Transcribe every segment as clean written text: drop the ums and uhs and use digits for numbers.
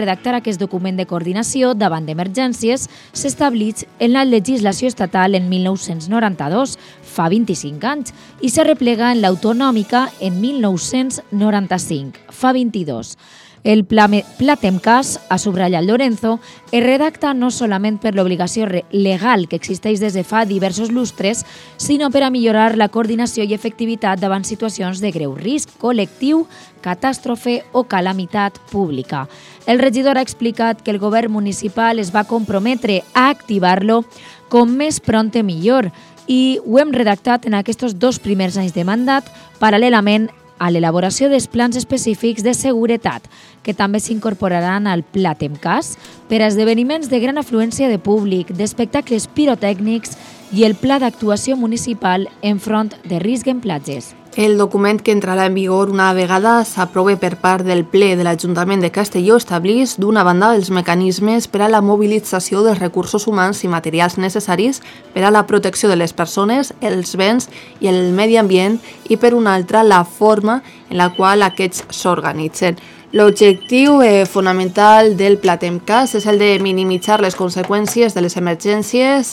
redactar aquest document de coordinació davant d'emergències s'estableix en la legislació estatal en 1992, fa 25 anys, i se replega en l'autonòmica en 1995, fa 22. El Pla Temcas, ha subratllat Lorenzo, es redacta no solament per l'obligació legal que existeix des de fa diversos lustres, sinó per a millorar la coordinació i efectivitat davant situacions de greu risc col·lectiu, catàstrofe o calamitat pública. El regidor ha explicat que el govern municipal es va comprometre a activar-lo com més prompte millor i ho hem redactat en aquests 2 primers anys de mandat, paral·lelament a l'elaboració dels plans específics de seguretat, que també s'incorporaran al Pla Temcas per a esdeveniments de gran afluència de públic, d'espectacles pirotècnics i el Pla d'actuació municipal enfront de risc en platges. El document que entrarà en vigor una vegada s'aprove per part del ple de l'Ajuntament de Castelló estableix, d'una banda, els mecanismes per a la mobilització dels recursos humans i materials necessaris per a la protecció de les persones, els béns i el medi ambient i, per una altra, la forma en la qual aquests s'organitzen. L'objectiu fonamental del Pla Temcas és el de minimitzar les conseqüències de les emergències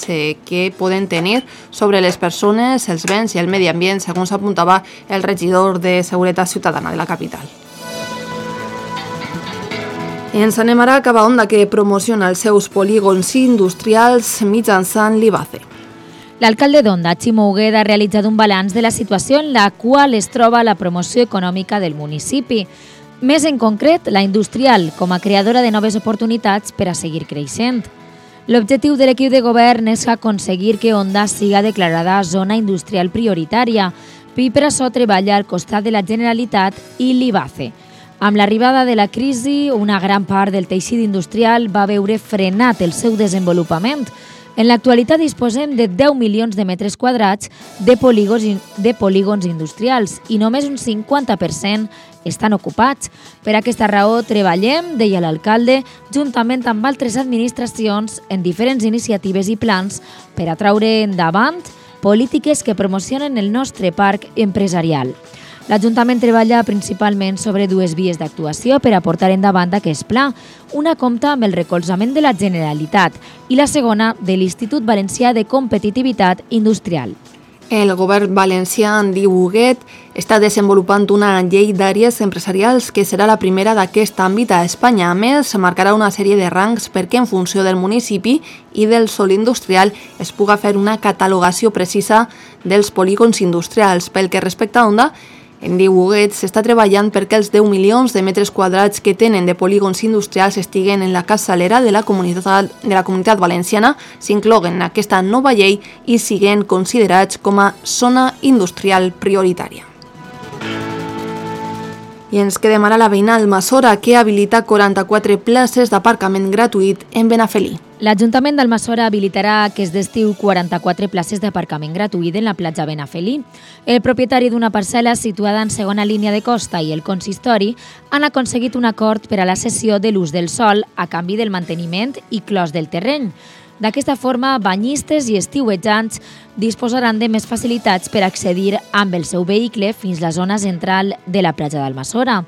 que poden tenir sobre les persones, els béns i el medi ambient, segons apuntava el regidor de Seguretat Ciutadana de la capital. Ens anem ara cap a Onda, que promociona els seus polígons industrials mitjançant l'IBACE. L'alcalde d'Onda, Ximo Huguet, ha realitzat un balanç de la situació en la qual es troba la promoció econòmica del municipi. Més en concret, la industrial, com a creadora de noves oportunitats per a seguir creixent. L'objectiu de l'equip de govern és aconseguir que Onda siga declarada zona industrial prioritària i per això treballa al costat de la Generalitat i l'IBACE. Amb l'arribada de la crisi, una gran part del teixit industrial va veure frenat el seu desenvolupament. En l'actualitat disposem de 10 milions de metres quadrats de polígons industrials i només un 50% estan ocupats. Per aquesta raó treballem, deia l'alcalde, juntament amb altres administracions en diferents iniciatives i plans per a traure endavant polítiques que promocionen el nostre parc empresarial. L'Ajuntament treballa principalment sobre 2 vies d'actuació per a portar endavant aquest pla. Una compta amb el recolzament de la Generalitat i la segona de l'Institut Valencià de Competitivitat Industrial. El govern valencià, en diu Huguet, està desenvolupant una llei d'àrees empresarials que serà la primera d'aquest àmbit a Espanya. A més, marcarà una sèrie de rangs perquè en funció del municipi i del sòl industrial es puga fer una catalogació precisa dels polígons industrials. Pel que respecta a Onda, en diu Huguet, s'està treballant perquè els 10 milions de metres quadrats que tenen de polígons industrials estiguen en la capçalera de la comunitat valenciana, s'incloguen en aquesta nova llei i siguen considerats com a zona industrial prioritària. I ens quedem ara a la veïna Almassora, que habilita 44 places d'aparcament gratuït en Benafelí. L'Ajuntament d'Almassora habilitarà aquest estiu 44 places d'aparcament gratuït en la platja Benafelí. El propietari d'una parcel·la situada en segona línia de costa i el consistori han aconseguit un acord per a la cessió de l'ús del sòl a canvi del manteniment i clos del terreny. D'aquesta forma, banyistes i estiuejants disposaran de més facilitats per accedir amb el seu vehicle fins a la zona central de la platja d'Almassora.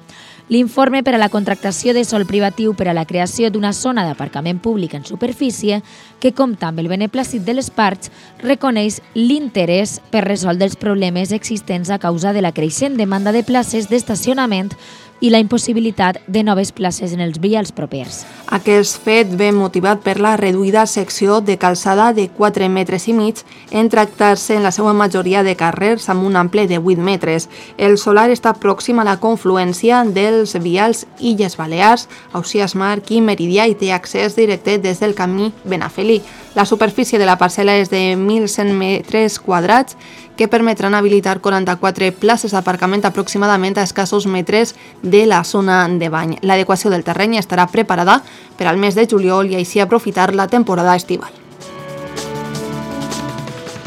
L'informe per a la contractació de sòl privatiu per a la creació d'una zona d'aparcament públic en superfície, que compta amb el beneplàcit de les parts, reconeix l'interès per resoldre els problemes existents a causa de la creixent demanda de places d'estacionament i la impossibilitat de noves places en els vials propers. Aquest fet ve motivat per la reduïda secció de calçada de 4,5 metres en tractar-se en la seva majoria de carrers amb un ample de 8 metres. El solar està pròxim a la confluència dels vials Illes Balears, Ausiàs Marc i Meridià i té accés directe des del camí Benafelí. La superfície de la parcel·la és de 1.100 metres quadrats que permetran habilitar 44 places d'aparcament aproximadament a escassos metres de la zona de bany. L'adequació del terreny estarà preparada per al mes de juliol i així aprofitar la temporada estival.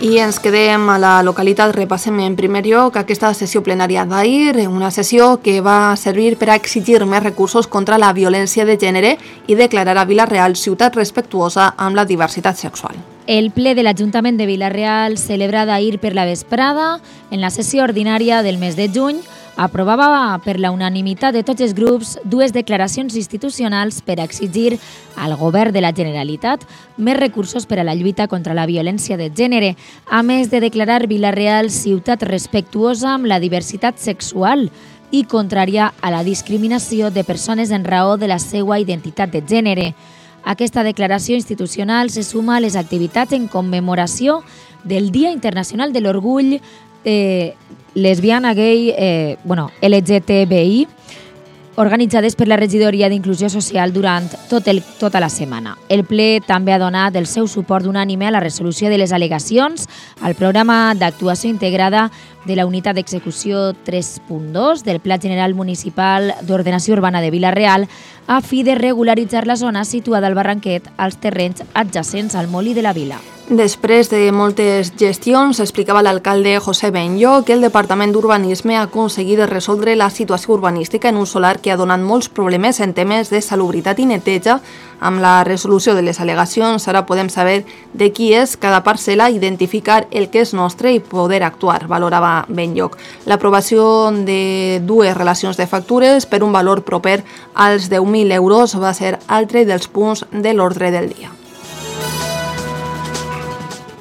I ens quedem a la localitat, repassem en primer lloc aquesta sessió plenària d'ahir, una sessió que va servir per a exigir més recursos contra la violència de gènere i declarar a Vila-real ciutat respectuosa amb la diversitat sexual. El ple de l'Ajuntament de Vila-real, celebrat ahir per la vesprada, en la sessió ordinària del mes de juny, aprovava per la unanimitat de tots els grups dues declaracions institucionals per exigir al govern de la Generalitat més recursos per a la lluita contra la violència de gènere, a més de declarar Vila-real ciutat respectuosa amb la diversitat sexual i contrària a la discriminació de persones en raó de la seva identitat de gènere. Aquesta declaració institucional se suma a les activitats en commemoració del Dia Internacional de l'Orgull lesbiana, gay, LGTBI, organitzades per la Regidoria d'Inclusió Social durant tota la setmana. El ple també ha donat el seu suport unànime a la resolució de les al·legacions al programa d'actuació integrada de la Unitat d'Execució 3.2 del Pla General Municipal d'Ordenació Urbana de Vila-real a fi de regularitzar la zona situada al Barranquet als terrenys adjacents al Molí de la Vila. Després de moltes gestions, explicava l'alcalde José Benllo que el Departament d'Urbanisme ha aconseguit resoldre la situació urbanística en un solar que ha donat molts problemes en temes de salubritat i neteja. Amb la resolució de les al·legacions ara podem saber de qui és cada parcel·la, identificar el que és nostre i poder actuar, valorava Benlloc. L'aprovació de dues relacions de factures per un valor proper als 10.000 euros va ser altre dels punts de l'ordre del dia.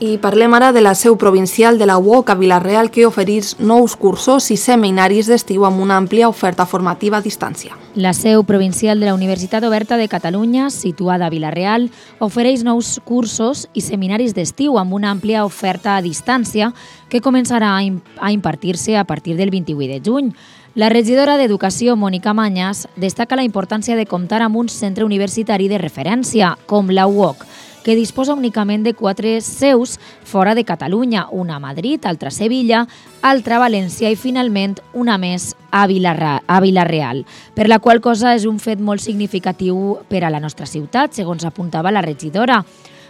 I parlem ara de la seu provincial de la UOC a Vila-real, que ofereix nous cursos i seminaris d'estiu amb una àmplia oferta formativa a distància. La seu provincial de la Universitat Oberta de Catalunya, situada a Vila-real, ofereix nous cursos i seminaris d'estiu amb una àmplia oferta a distància que començarà a impartir-se a partir del 28 de juny. La regidora d'Educació, Mònica Mañas, destaca la importància de comptar amb un centre universitari de referència, com la UOC, que disposa únicament de 4 seus fora de Catalunya, una a Madrid, altra a Sevilla, altra a València i finalment una més a Vila-real, per la qual cosa és un fet molt significatiu per a la nostra ciutat, segons apuntava la regidora.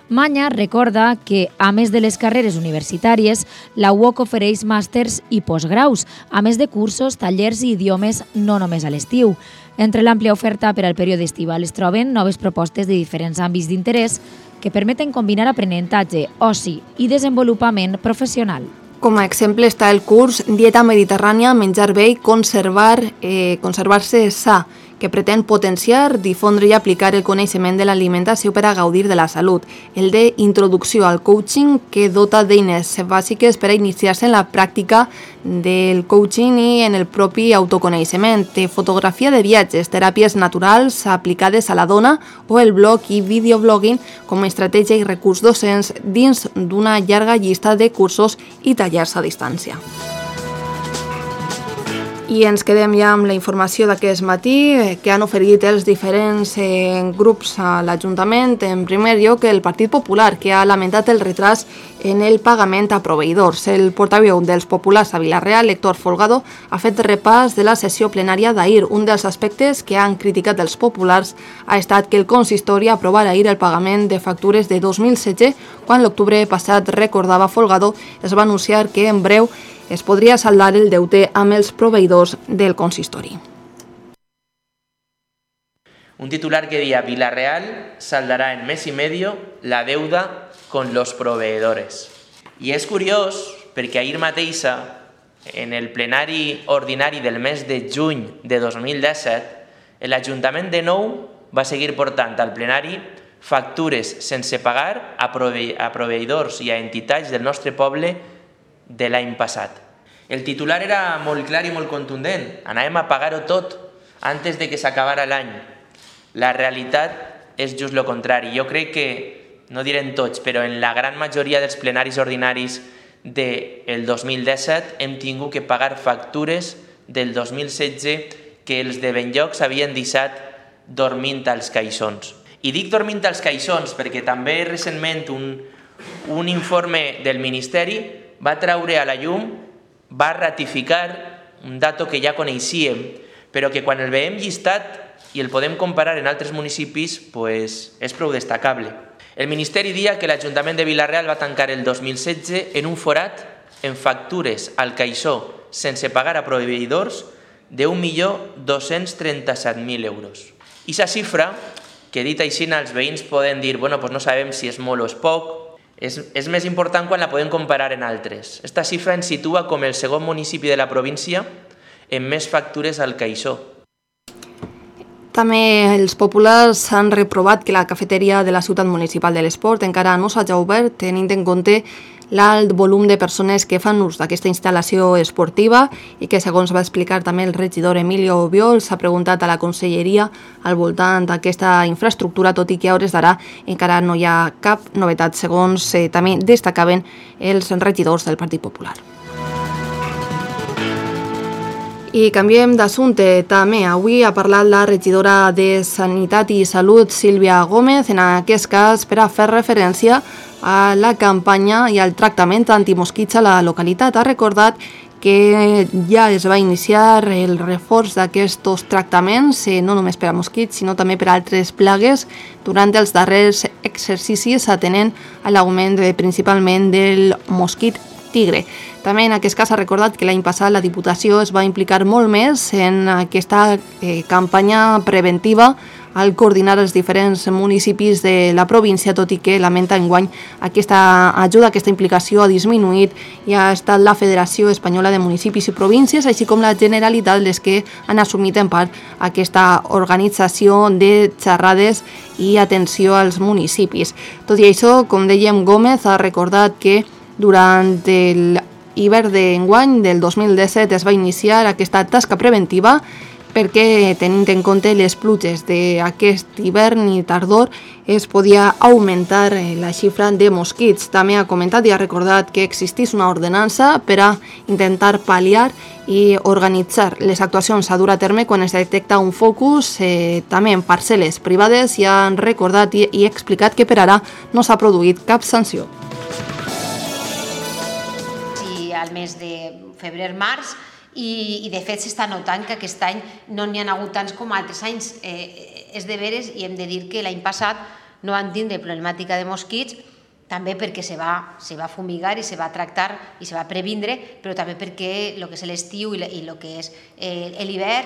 Maña recorda que, a més de les carreres universitàries, la UOC ofereix màsters i postgraus, a més de cursos, tallers i idiomes no només a l'estiu. Entre l'àmplia oferta per al període estival es troben noves propostes de diferents àmbits d'interès que permeten combinar aprenentatge, oci i desenvolupament professional. Com a exemple està el curs Dieta Mediterrània, menjar bé i conservar-se sa, que pretén potenciar, difondre i aplicar el coneixement de l'alimentació per a gaudir de la salut. El de Introducció al Coaching, que dota d'eines bàsiques per a iniciar-se en la pràctica del coaching i en el propi autoconeixement. Té fotografia de viatges, teràpies naturals aplicades a la dona o el blog i videoblogging com a estratègia i recurs docents dins d'una llarga llista de cursos i tallers a distància. I ens quedem ja amb la informació d'aquest matí que han oferit els diferents grups a l'Ajuntament. En primer lloc, el Partit Popular, que ha lamentat el retras en el pagament a proveïdors. El portaveu dels populars a Vila-real, Héctor Folgado, ha fet repàs de la sessió plenària d'ahir. Un dels aspectes que han criticat els populars ha estat que el consistori aprovara ahir el pagament de factures de 2016, quan l'octubre passat, recordava Folgado, es va anunciar que en breu es podria saldar el deute amb els proveïdors del consistori. Un titular que decía: Vila-real saldará en mes y medio la deuda con los proveedores. I és curiós perquè ahir mateixa, en el plenari ordinari del mes de juny de 2017, l'Ajuntament de nou va seguir portant al plenari factures sense pagar a proveïdors i a entitats del nostre poble de l'any passat. El titular era molt clar i molt contundent. Anàvem a pagar-ho tot antes de que s'acabara l'any. La realitat és just el contrari. Jo crec que, no diré en tots, però en la gran majoria dels plenaris ordinaris del 2017 hem tingut que pagar factures del 2016 que els de Benlloc s'havien deixat dormint als caixons. I dic dormint als caixons perquè també recentment un informe del Ministeri va treure a la llum, va ratificar un dato que ja coneixíem, però que quan el veiem llistat i el podem comparar en altres municipis, és prou destacable. El Ministeri dia que l'Ajuntament de Vila-real va tancar el 2016 en un forat en factures al caixó sense pagar a proveïdors de 1.237.000 euros. I aquesta xifra, que dit així els veïns poden dir no sabem si és molt o és poc, és més important quan la podem comparar en altres. Esta xifra ens situa com el segon municipi de la província en més factures al caixó. També els populars han reprovat que la cafeteria de la ciutat municipal de l'Esport encara no s'hagi obert, tenint en compte l'alt volum de persones que fan ús d'aquesta instal·lació esportiva i que, segons va explicar també el regidor Emilio Obiol, s'ha preguntat a la conselleria al voltant d'aquesta infraestructura, tot i que a hores d'ara encara no hi ha cap novetat, segons també destacaven els regidors del Partit Popular. I canviem d'assumpte també. Avui ha parlat la regidora de Sanitat i Salut, Sílvia Gómez, en aquest cas per a fer referència a la campanya i al tractament antimosquits a la localitat. Ha recordat que ja es va iniciar el reforç d'aquests tractaments, no només per a mosquits, sinó també per a altres plagues, durant els darrers exercicis, atenent a l'augment principalment del mosquit tigre. També en aquest cas ha recordat que l'any passat la Diputació es va implicar molt més en aquesta campanya preventiva al coordinar els diferents municipis de la província, tot i que lamenta enguany aquesta ajuda, aquesta implicació ha disminuït i ha estat la Federació Espanyola de Municipis i Províncies, així com la Generalitat, les que han assumit en part aquesta organització de xerrades i atenció als municipis. Tot i això, com dèiem, Gómez ha recordat que durant l'hivern d'enguany del 2017 es va iniciar aquesta tasca preventiva perquè, tenint en compte les pluges d'aquest hivern i tardor, es podia augmentar la xifra de mosquits. També ha comentat i ha recordat que existís una ordenança per a intentar pal·liar i organitzar les actuacions a dur a terme quan es detecta un focus, també en parcel·les privades, i han recordat i explicat que per ara no s'ha produït cap sanció. Al mes de febrer-març, i de fet s'està notant que aquest any no n'hi ha hagut tants com altres anys. És de veres, i hem de dir que l'any passat no van tindre problemàtica de mosquits, també perquè se va fumigar i se va tractar i se va previndre, però també perquè el que és l'estiu i el que és l'hivern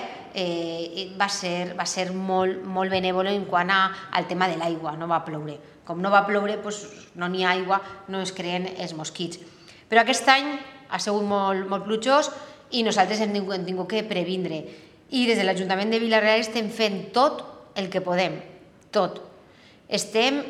va ser molt benèvol en quant al tema de l'aigua. No va ploure. Com no va ploure, no n'hi ha aigua, no es creen els mosquits. Però aquest any ha sigut molt plujós i nosaltres hem tingut que previndre. I des de l'Ajuntament de Vila-real estem fent tot el que podem, tot. Estem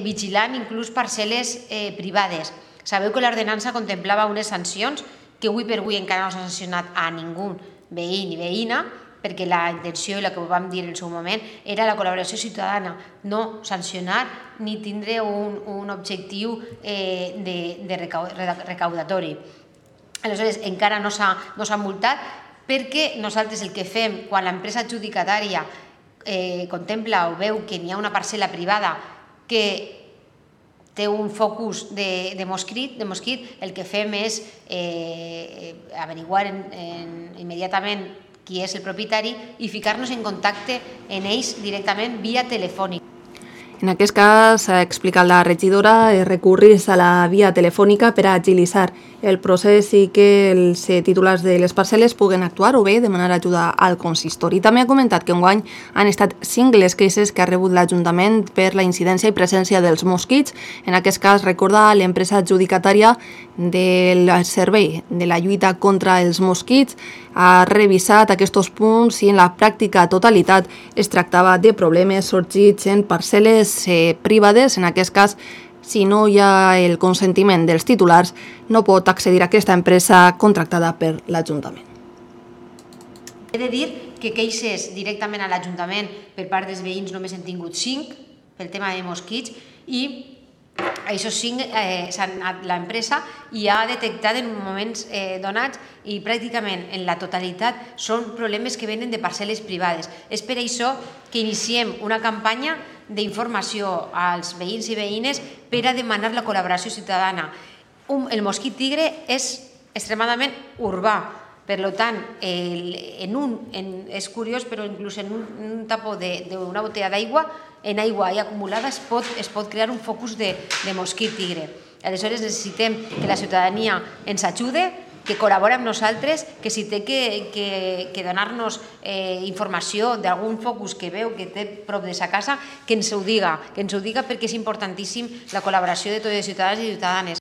vigilant inclús parcel·les privades. Sabeu que l'ordenança contemplava unes sancions que avui per avui encara no s'ha sancionat a ningú veí ni veïna, perquè la intenció, i la que vam dir en el seu moment, era la col·laboració ciutadana, no sancionar ni tindre un objectiu recaudatori. Aleshores, encara no s'ha multat, perquè nosaltres el que fem quan l'empresa adjudicatària contempla o veu que n'hi ha una parcel·la privada que té un focus de mosquit, el que fem és averiguar immediatament qui és el propietari i ficar-nos en contacte amb ells directament via telefònica. En aquest cas, ha explicat la regidora, recurrir a la via telefònica per a agilitzar el procés i que els titulars de les parcel·les puguen actuar o bé demanar ajuda al consistori. També ha comentat que enguany han estat 5 les queixes que ha rebut l'Ajuntament per la incidència i presència dels mosquits. En aquest cas, recorda l'empresa adjudicatària del servei de la lluita contra els mosquits ha revisat aquests punts i en la pràctica totalitat es tractava de problemes sorgits en parcel·les privades. En aquest cas, si no hi ha el consentiment dels titulars, no pot accedir a aquesta empresa contractada per l'Ajuntament. He de dir que queixes directament a l'Ajuntament per part dels veïns només hem tingut 5 pel tema de mosquits, i aquests 5 l'empresa ja ha detectat en moments donats, i pràcticament en la totalitat són problemes que venen de parcel·les privades. És per això que iniciem una campanya d'informació als veïns i veïnes per a demanar la col·laboració ciutadana. El mosquit tigre és extremadament urbà, per tant, és curiós, però inclús en un tapó d'una botella d'aigua, en aigua acumulada es pot crear un focus de mosquit tigre. Aleshores necessitem que la ciutadania ens ajude, que col·labora amb nosaltres, que si té que donar-nos informació d'algun focus que veu que té prop de sa casa, que ens ho diga perquè és importantíssim la col·laboració de tots els ciutadans i ciutadanes.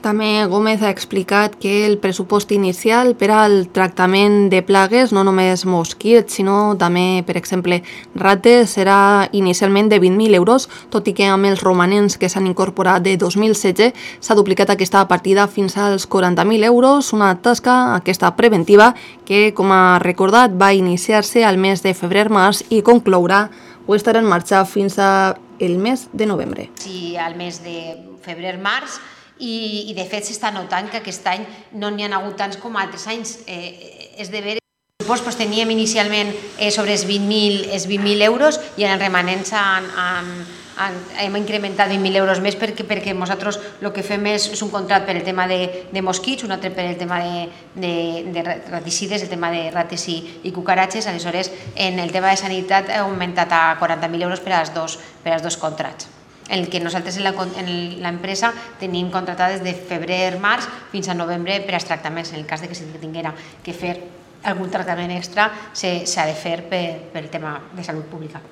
També Gómez ha explicat que el pressupost inicial per al tractament de plagues, no només mosquits, sinó també, per exemple, rates, serà inicialment de 20.000 euros, tot i que amb els romanents que s'han incorporat de 2016 s'ha duplicat aquesta partida fins als 40.000 euros, una tasca, aquesta preventiva, que, com ha recordat, va iniciar-se al mes de febrer-març i conclourà o estarà en marxa fins al mes de novembre. Sí, al mes de febrer-març, i de fet s'està notant que aquest any no n'hi ha hagut tants com altres anys. És de veure, doncs teníem inicialment sobre els 20.000 euros i en el remanent hem incrementat 20.000 euros més perquè nosaltres el que fem és un contracte per el tema de mosquits, un altre per el tema de raticides, el tema de rates i cucaratges. Aleshores, en el tema de sanitat ha augmentat a 40.000 euros per als dos contractes. El que nosaltres en l'empresa tenim contratat des de febrer-març fins a novembre per als tractaments. En el cas que si tinguera que fer algun tractament extra, s'ha de fer pel tema de salut pública.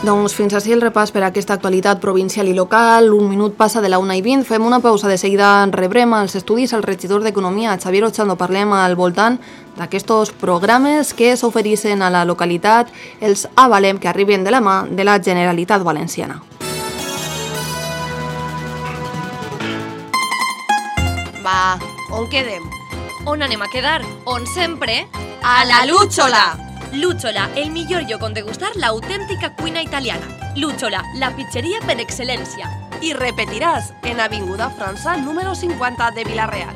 Doncs fins així el repàs per a aquesta actualitat provincial i local. Un minut passa de la 1:20. Fem una pausa. De seguida rebrem als estudis el regidor d'Economia, Xavier Ochando. Parlem al voltant d'aquests programes que s'ofereixen a la localitat, els avalem que arriben de la mà de la Generalitat Valenciana. Va, on quedem? On anem a quedar? On sempre? A la Lúchola! Lúchola, el millor lloc on degustar l'autèntica cuina italiana. Lúchola, la pizzeria per excel·lència. Y repetirás en Avinguda França número 50 de Villarreal.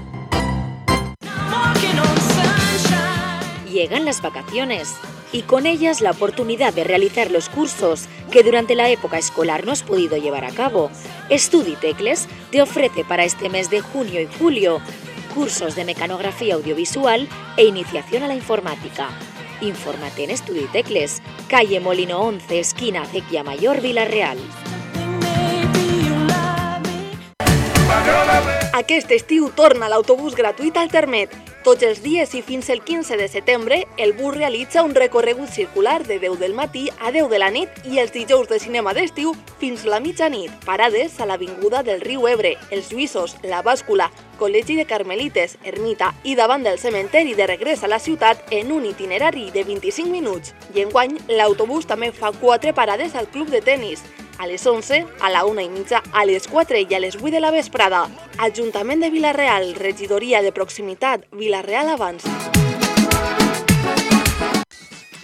Llegan las vacaciones y con ellas la oportunidad de realizar los cursos que durante la época escolar no has podido llevar a cabo. StudiTecles te ofrece para este mes de junio y julio cursos de mecanografía audiovisual e iniciación a la informática. Infórmate en StudiTecles, calle Molino 11, esquina Acequia Mayor, Villarreal. Aquest estiu torna l'autobús gratuït al Termet. Tots els dies i fins el 15 de setembre, el bus realitza un recorregut circular de 10 del matí a 10 de la nit i els dijous de cinema d'estiu fins la mitjanit. Parades a l'Avinguda del Riu Ebre, els Lluïssos, la Bàscula, Col·legi de Carmelites, Ermita i davant del cementeri de regrés a la ciutat en un itinerari de 25 minuts. I enguany, l'autobús també fa 4 parades al club de tenis. A les 11, a la 1:30, a les 4 i a les 8 de la vesprada. Ajuntament de Villarreal, regidoria de proximitat, Villarreal Abans.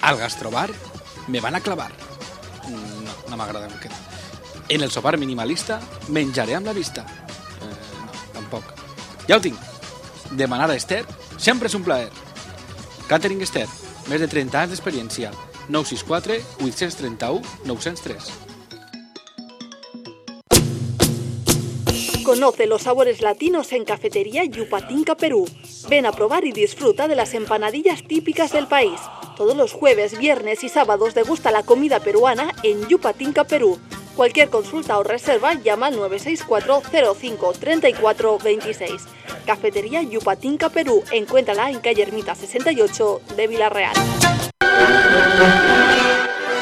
Al gastrobar me van a clavar. No m'agrada aquest. En el sopar minimalista menjaré amb la vista. No, tampoc. Ja ho tinc. Demanar a Esther sempre és un plaer. Catering Esther, més de 30 anys d'experiència. 964 831 903. Conoce los sabores latinos en Cafetería Yupatinca Perú. Ven a probar y disfruta de las empanadillas típicas del país. Todos los jueves, viernes y sábados degusta la comida peruana en Yupatinca Perú. Cualquier consulta o reserva llama al 964 05 34 26. Cafetería Yupatinca Perú. Encuéntrala en calle Ermita 68 de Villarreal.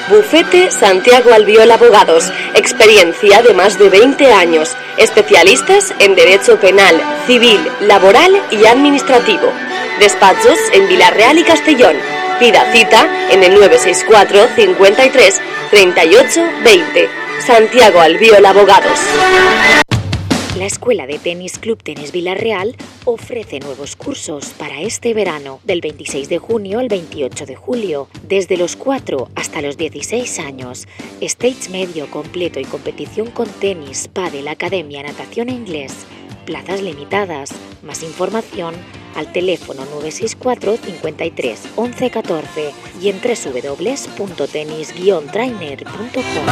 Bufete Santiago Albiol Abogados, experiencia de más de 20 años, especialistas en derecho penal, civil, laboral y administrativo. Despachos en Villarreal y Castellón. Pida cita en el 964 53 38 20. Santiago Albiol Abogados. La Escuela de Tenis Club Tenis Villarreal ofrece nuevos cursos para este verano, del 26 de junio al 28 de julio, desde los 4 hasta los 16 años. Stage medio completo y competición con tenis, pádel, academia, natación e inglés. Plazas limitadas. Más información al teléfono 964 53 11 14 y en www.tenis-trainer.com.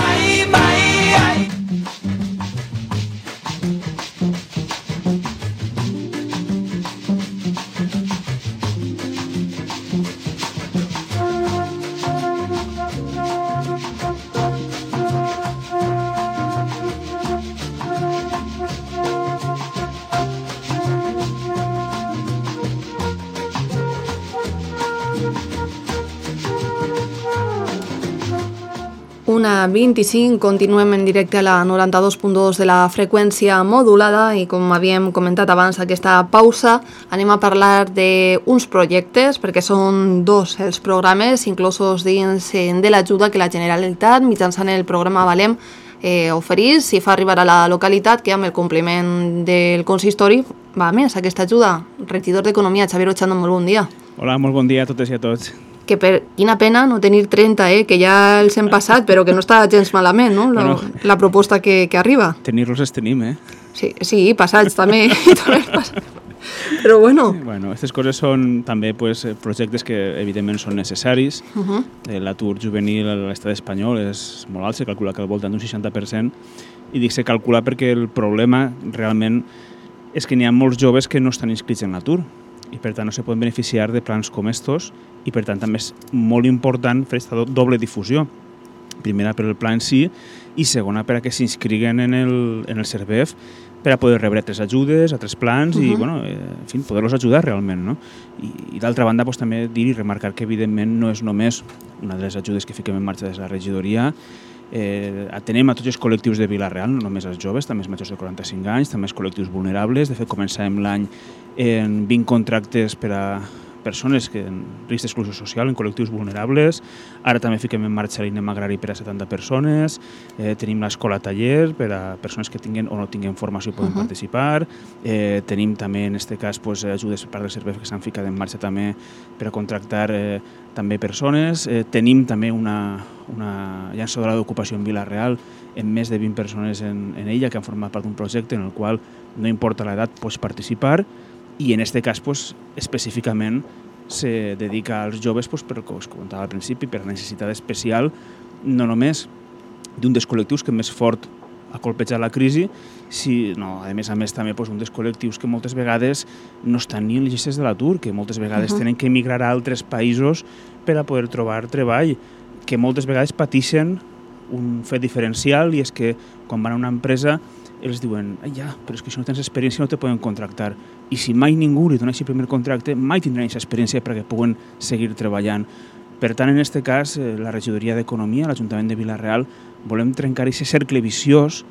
1:25, continuem en directe a la 92.2 de la freqüència modulada i com havíem comentat abans aquesta pausa anem a parlar d'uns projectes perquè són dos els programes inclosos dins de l'ajuda que la Generalitat mitjançant el programa Valem oferís i fa arribar a la localitat que amb el compliment del consistori va més aquesta ajuda. Regidor d'Economia, Xavier Ochando, molt bon dia. Hola, molt bon dia a totes i a tots. Que quina pena no tenir 30, que ja els hem passat, però que no està gens malament, no? La proposta que arriba. Tenir-los els tenim, Sí, passats també. Però bueno. Bueno, aquestes coses són també projectes que evidentment són necessaris. L'atur juvenil a l'estat espanyol és molt alt, se calcula que al voltant d'un 60%, i dic se calcula perquè el problema realment és que n'hi ha molts joves que no estan inscrits en l'atur i per tant no se poden beneficiar de plans com estos i per tant també és molt important fer aquesta doble difusió. Primera per el pla en si i segona per a que s'inscriguen en el CERVEF per a poder rebre altres ajudes, altres plans i en fi, poder-los ajudar realment. No? I d'altra banda també dir i remarcar que evidentment no és només una de les ajudes que fiquem en marxa des de la regidoria. Atenem a tots els col·lectius de Vila-real, no només els joves, també els majors de 45 anys, també els col·lectius vulnerables. De fet, començàvem l'any en 20 contractes per a persones en risc d'exclusió social, en col·lectius vulnerables. Ara també fiquem en marxa l'INEM agrari per a 70 persones. Tenim l'escola taller per a persones que tinguin o no tinguin formació i poden participar. Tenim també, en aquest cas, ajudes per part del CERVEF que s'han ficat en marxa també per a contractar també persones. Tenim també una llançadora d'ocupació en Vila-real amb més de 20 persones en ella que han format part d'un projecte en el qual no importa l'edat pots participar i en aquest cas específicament se dedica als joves per, com us comentava al principi, per necessitat especial no només d'un dels col·lectius que més fort ha colpejat la crisi, sinó a més també un dels col·lectius que moltes vegades no estan ni en les llistes de l'atur, que moltes vegades tenen que emigrar a altres països per a poder trobar treball, que moltes vegades pateixen un fet diferencial i és que quan van a una empresa els diuen, però és que si no tens experiència no te poden contractar i si mai ningú li dona aquest primer contracte mai tindran aquesta experiència perquè puguen seguir treballant. Per tant, en aquest cas, la regidoria d'Economia, l'Ajuntament de Vila-real, volem trencar aquest cercle viciós,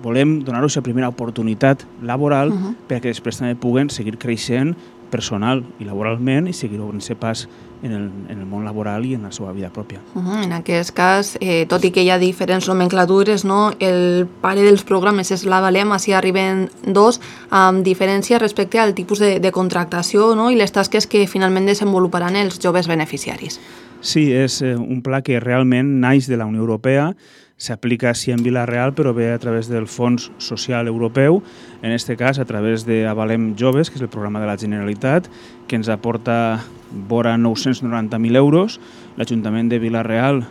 volem donar-los la primera oportunitat laboral perquè després també puguen seguir creixent personal i laboralment i seguir obrint-se pas en el món laboral i en la seva vida pròpia. En aquest cas, tot i que hi ha diferents nomenclatures, el pare dels programes és la Valem, així arriben dos, amb diferència respecte al tipus de contractació i les tasques que finalment desenvoluparan els joves beneficiaris. Sí, és un pla que realment naix de la Unió Europea, s'aplica sí en Vila-real, però ve a través del Fons Social Europeu, en aquest cas a través de Avalem Joves, que és el programa de la Generalitat, que ens aporta vora 990.000 euros. L'Ajuntament de Vila-real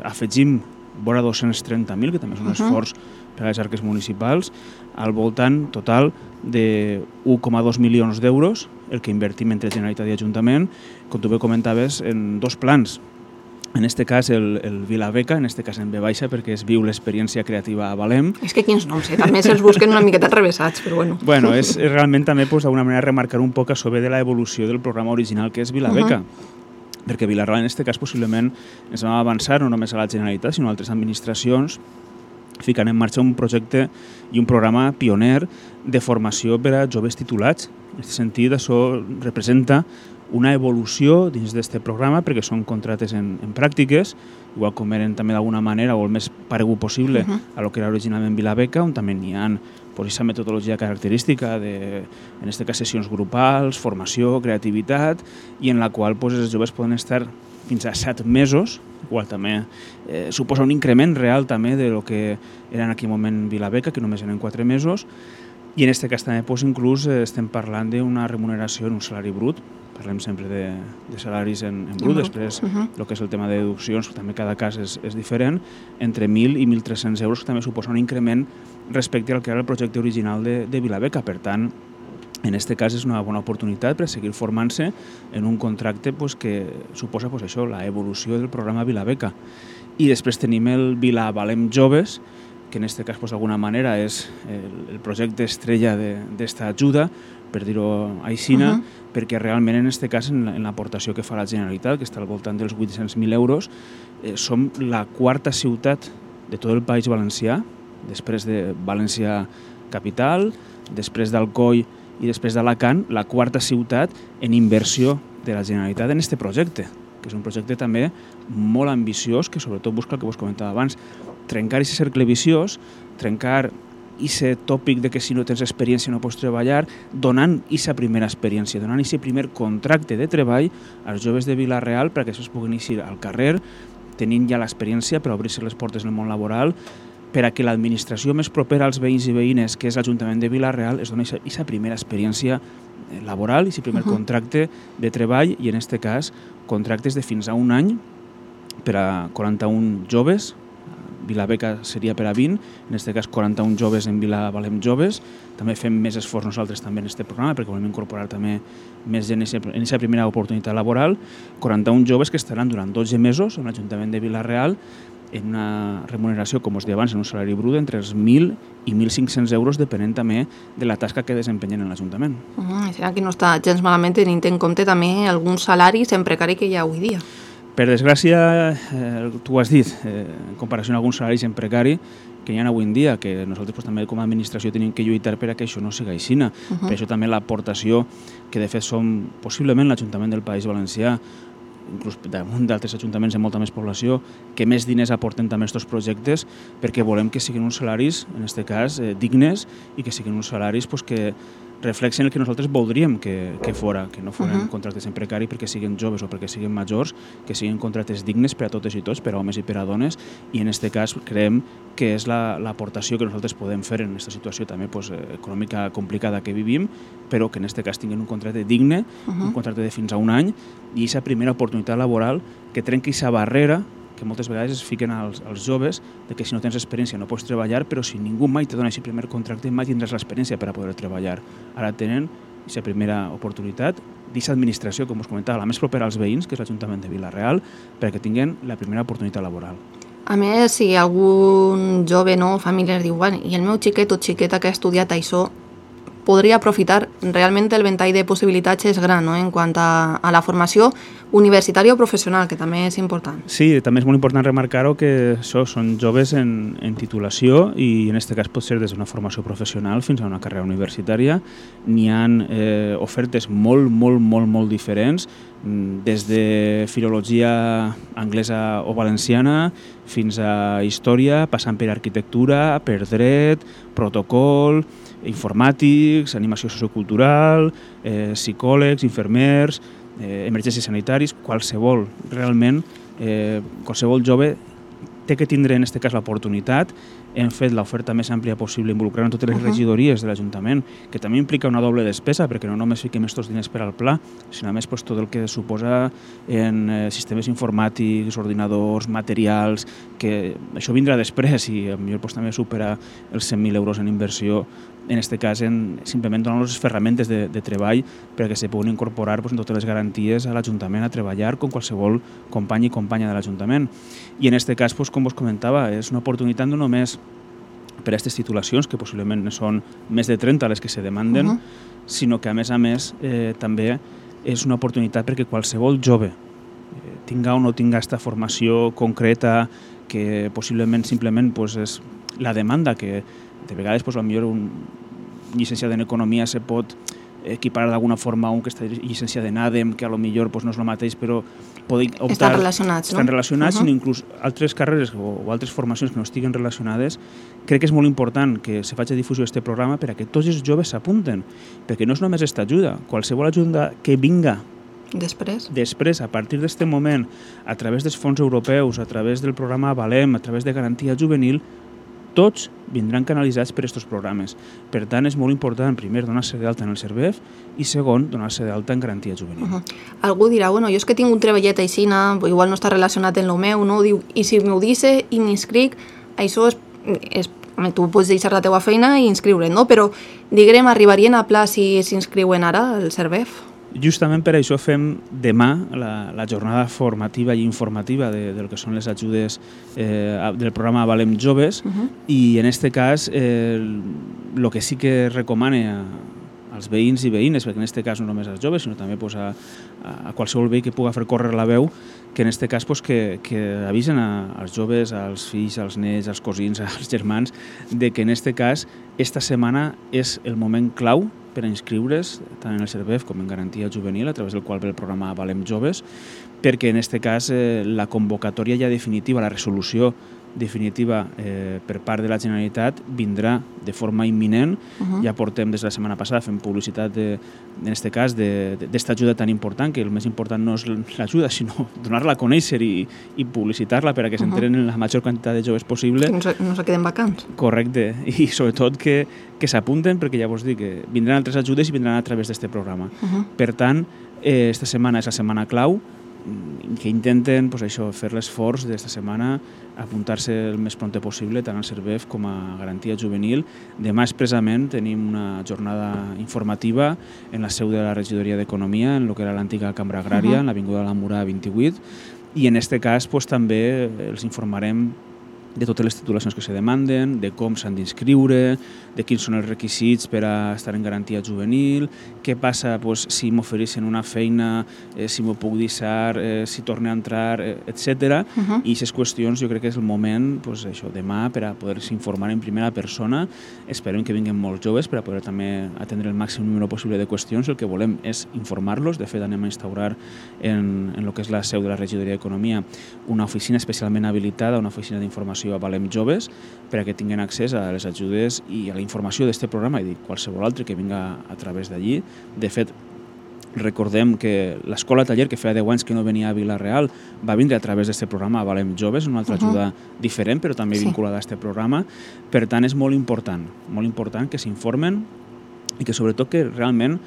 afegim vora 230.000, que també és un esforç per a les arques municipals, al voltant total de 1,2 milions d'euros, el que invertim entre Generalitat i Ajuntament, com tu bé comentaves, en dos plans. En aquest cas, el Vilabeca, en aquest cas en B baixa, perquè es viu l'experiència creativa a Valem. És que quins noms, també se'ls busquen una miqueta revessats, però bueno. Bueno, és realment també d'alguna manera remarcar un poc a sobre de l'evolució del programa original que és Vilabeca. Perquè Vila-real, en aquest cas, possiblement ens vam avançar no només a la Generalitat, sinó a altres administracions, ficant en marxa un projecte i un programa pioner de formació per a joves titulats. En aquest sentit, això representa una evolució dins d'aquest programa perquè són contractes en pràctiques, igual com eren també d'alguna manera o el més paregut possible a lo que era originalment Vilabeca, on també n'hi ha aquesta metodologia característica de, en aquest cas, sessions grupals, formació, creativitat, i en la qual els joves poden estar fins a 7 mesos, igual també suposa un increment real també de lo que era en aquell moment Vilabeca, que només eren 4 mesos, i en aquest cas també inclús estem parlant d'una remuneració en un salari brut. Parlem sempre de salaris en brut, després el que és el tema de deduccions, també cada cas és diferent, entre 1.000 i 1.300 euros, que també suposa un increment respecte al que era el projecte original de Vilabeca. Per tant, en aquest cas és una bona oportunitat per seguir formant-se en un contracte que suposa això, l'evolució del programa Vilabeca. I després tenim el Vila Valem Joves, que en este cas d'alguna manera és el projecte estrella d'esta ajuda, per dir-ho aixina, perquè realment en aquest cas en l'aportació que fa la Generalitat, que està al voltant dels 800.000 euros, som la quarta ciutat de tot el País Valencià, després de València capital, després d'Alcoi i després d'Alacant, la quarta ciutat en inversió de la Generalitat en aquest projecte, que és un projecte també molt ambiciós, que sobretot busca el que vos comentava abans, trencar aquest cercle viciós, trencar aquest tòpic de que si no tens experiència no pots treballar, donant aquesta primera experiència, donant aquest primer contracte de treball als joves de Vila-real perquè després puguin eixir al carrer, tenint ja l'experiència per obrir-se les portes del món laboral, per a que l'administració més propera als veïns i veïnes, que és l'Ajuntament de Vila-real, es doni aquesta primera experiència laboral, aquest primer contracte de treball, i en aquest cas contractes de fins a un any per a 41 joves, Vilabeca seria per a 20, en aquest cas 41 joves en Vila Valem Joves. També fem més esforç nosaltres també en aquest programa perquè volem incorporar també més gent en aquesta primera oportunitat laboral. 41 joves que estaran durant 12 mesos en l'Ajuntament de Vila-real en una remuneració, com us deia abans, en un salari brut entre els 1.000 i 1.500 euros, depenent també de la tasca que desempenyen en l'Ajuntament. Serà que no està gens malament tenint en compte també alguns salaris en precari que hi ha avui dia. Per desgràcia, tu ho has dit, en comparació amb alguns salaris en precari que hi ha avui en dia, que nosaltres també com a administració tenim que lluitar per a que això no sigui així. Per això també l'aportació, que de fet som possiblement l'Ajuntament del País Valencià, inclús damunt d'altres ajuntaments de molta més població, que més diners aporten també aquests projectes, perquè volem que siguin uns salaris, en aquest cas, dignes, i que siguin uns salaris que reflexen el que nosaltres voldríem que fora, que no foren contractes en precari perquè siguin joves o perquè siguin majors, que siguin contractes dignes per a totes i tots, per a homes i per a dones, i en aquest cas creiem que és l'aportació que nosaltres podem fer en aquesta situació també econòmica complicada que vivim, però que en aquest cas tinguin un contracte digne, un contracte de fins a un any, i aquesta primera oportunitat laboral que trenqui aquesta barrera que moltes vegades es fiquen als joves de que si no tens experiència no pots treballar, però si ningú mai te dona aquest primer contracte mai tindràs l'experiència per a poder treballar. Ara tenen aquesta primera oportunitat d'aquesta administració, com us comentava, la més propera als veïns, que és l'Ajuntament de Vila-real, perquè tinguin la primera oportunitat laboral. A més, si algun jove o família diu i el meu xiquet o xiqueta que ha estudiat això podria aprofitar, realment el ventall de possibilitats és gran, en quant a la formació universitària o professional, que també és important. Sí, també és molt important remarcar-ho que són joves en titulació i en aquest cas pot ser des d'una formació professional fins a una carrera universitària. N'hi ha ofertes molt diferents, des de filologia anglesa o valenciana fins a història, passant per arquitectura, per dret, protocol, informàtics, animació sociocultural, psicòlegs, infermers, emergències sanitaris, qualsevol jove té que tindre en aquest cas l'oportunitat. Hem fet l'oferta més àmplia possible involucrant totes les regidories de l'Ajuntament, que també implica una doble despesa, perquè no només fiquem aquests diners per al pla, sinó a més tot el que suposa en sistemes informàtics, ordinadors, materials, que això vindrà després i potser també supera els 100.000 euros en inversió, en aquest cas simplement donar les ferramentes de treball perquè se puguin incorporar amb totes les garanties a l'Ajuntament a treballar com qualsevol company i companya de l'Ajuntament. I en aquest cas, com vos comentava, és una oportunitat no només per a aquestes titulacions, que possiblement són més de 30 les que se demanden, sinó que a més també és una oportunitat perquè qualsevol jove tinga o no tinga aquesta formació concreta que possiblement simplement és la demanda que de vegades potser un llicenciat en economia se pot equiparar d'alguna forma a un que està llicenciat en ADEM, que potser no és el mateix, però poden optar... Estan relacionats, no? Estan relacionats, sinó inclús altres carreres o altres formacions que no estiguen relacionades. Crec que és molt important que se faci difusió d'aquest programa per a que tots els joves s'apunten, perquè no és només aquesta ajuda, qualsevol ajuda que vinga després, a partir d'aquest moment, a través dels fons europeus, a través del programa Valem, a través de garantia juvenil, tots vindran canalitzats per aquests programes. Per tant, és molt important, primer, donar-se d'alta en el CERVEF i, segon, donar-se d'alta en garantia juvenil. Algú dirà, jo és que tinc un treballet així, igual no està relacionat amb el meu, diu, i si m'ho dice i m'inscric, això és tu pots deixar la teva feina i inscriure't, no? Però, diguem, arribarien a pla si s'inscriuen ara al CERVEF? Justament per això fem demà la jornada formativa i informativa del que són les ajudes del programa Avalem Joves, i en aquest cas el que sí que recomane als veïns i veïnes, perquè en aquest cas no només als joves, sinó també a qualsevol veí que pugui fer córrer la veu, que en aquest cas que avisen als joves, als fills, als nets, als cosins, als germans, de que en aquest cas esta setmana és el moment clau per a inscriure's tant en el CERVEF com en Garantia Juvenil, a través del qual ve el programa Avalem Joves, perquè en aquest cas la convocatòria ja definitiva, la resolució definitiva per part de la Generalitat vindrà de forma imminent. Ja portem des de la setmana passada fent publicitat en aquest cas d'esta ajuda tan important, que el més important no és l'ajuda, sinó donar-la a conèixer i publicitar-la per a que s'enteren la major quantitat de joves possible. Que no se queden vacants. Correcte, i sobretot que s'apunten, perquè ja vos dic que vindran altres ajudes i vindran a través d'aquest programa. Per tant, esta setmana és la setmana clau, que intenten fer l'esforç d'esta setmana, apuntar-se el més pront possible tant al CERVEF com a Garantia Juvenil. Demà expressament tenim una jornada informativa en la seu de la Regidoria d'Economia, en el que era l'antiga Cambra Agrària, en l'Avinguda de la Mura 28, i en aquest cas també els informarem de totes les titulacions que se demanden, de com s'han d'inscriure, de quins són els requisits per a estar en garantia juvenil, què passa si m'ofereixen una feina, si m'ho puc deixar, si torno a entrar, etc. I aquestes qüestions jo crec que és el moment, demà, per a poder-se informar en primera persona. Esperem que vinguin molts joves per a poder també atendre el màxim número possible de qüestions. El que volem és informar-los. De fet, anem a instaurar en el que és la seu de la Regidoria d'Economia una oficina especialment habilitada, una oficina d'informació a Avalem Joves, per a que tinguin accés a les ajudes i a la informació d'aquest programa i de qualsevol altre que vinga a través d'allí. De fet, recordem que l'escola taller, que feia 10 anys que no venia a Vila-real, va vindre a través d'aquest programa Avalem Joves, una altra ajuda diferent, però també vinculada a aquest programa. Per tant, és molt important que s'informen i que sobretot que realment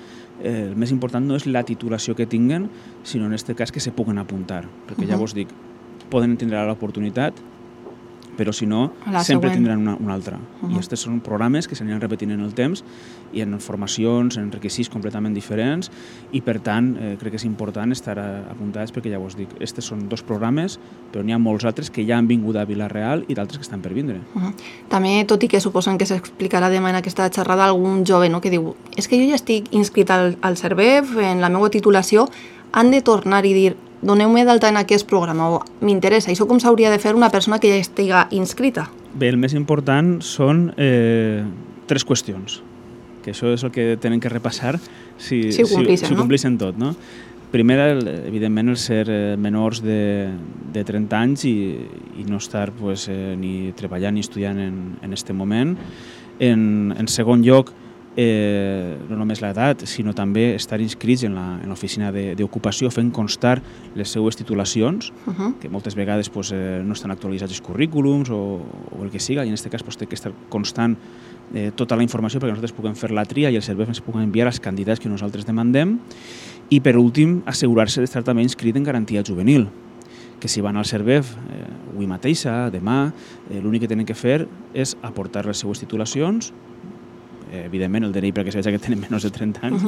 el més important no és la titulació que tinguen, sinó en aquest cas que se puguen apuntar, perquè ja vos dic, poden tindre l'oportunitat, però si no, sempre tindran una altra. I aquests són programes que s'aniran repetint en el temps i en formacions, en requisits completament diferents, i per tant crec que és important estar apuntats, perquè ja vos dic, aquests són 2 programes, però n'hi ha molts altres que ja han vingut a Vila-real i d'altres que estan per vindre. També, tot i que suposen que s'explicarà demà en aquesta xerrada algun jove que diu és que jo ja estic inscrit al CERVEF, en la meva titulació, han de tornar i dir doneu-me d'alta en aquest programa o m'interessa. Això com s'hauria de fer una persona que ja estiga inscrita? Bé, el més important són 3 qüestions, que això és el que tenen que repassar si ho compleixen tot. Primera, evidentment, el ser menors de 30 anys i no estar ni treballant ni estudiant en aquest moment. En segon lloc, no només l'edat, sinó també estar inscrits en l'oficina d'ocupació fent constar les seues titulacions, que moltes vegades no estan actualitzats els currículums o el que siga, i en aquest cas té que estar constant tota la informació perquè nosaltres puguem fer la tria i el CERVEF ens pugui enviar els candidats que nosaltres demandem. I per últim, assegurar-se d'estar també inscrit en garantia juvenil, que si van al CERVEF avui mateixa, demà, l'únic que tenen que fer és aportar les seues titulacions, evidentment el DNI perquè es veig que tenen menys de 30 anys,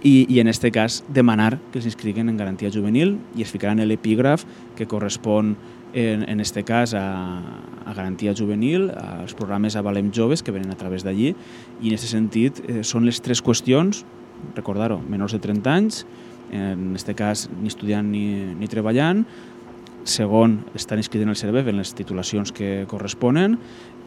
i en aquest cas demanar que s'inscriguen en garantia juvenil i es ficaran l'epígraf que correspon en aquest cas a garantia juvenil, als programes Avalem Joves que venen a través d'allí, i en aquest sentit són les 3 qüestions, recordar-ho, menors de 30 anys, en aquest cas ni estudiant ni treballant. Segon, estar inscrit en el CERVEF en les titulacions que corresponen,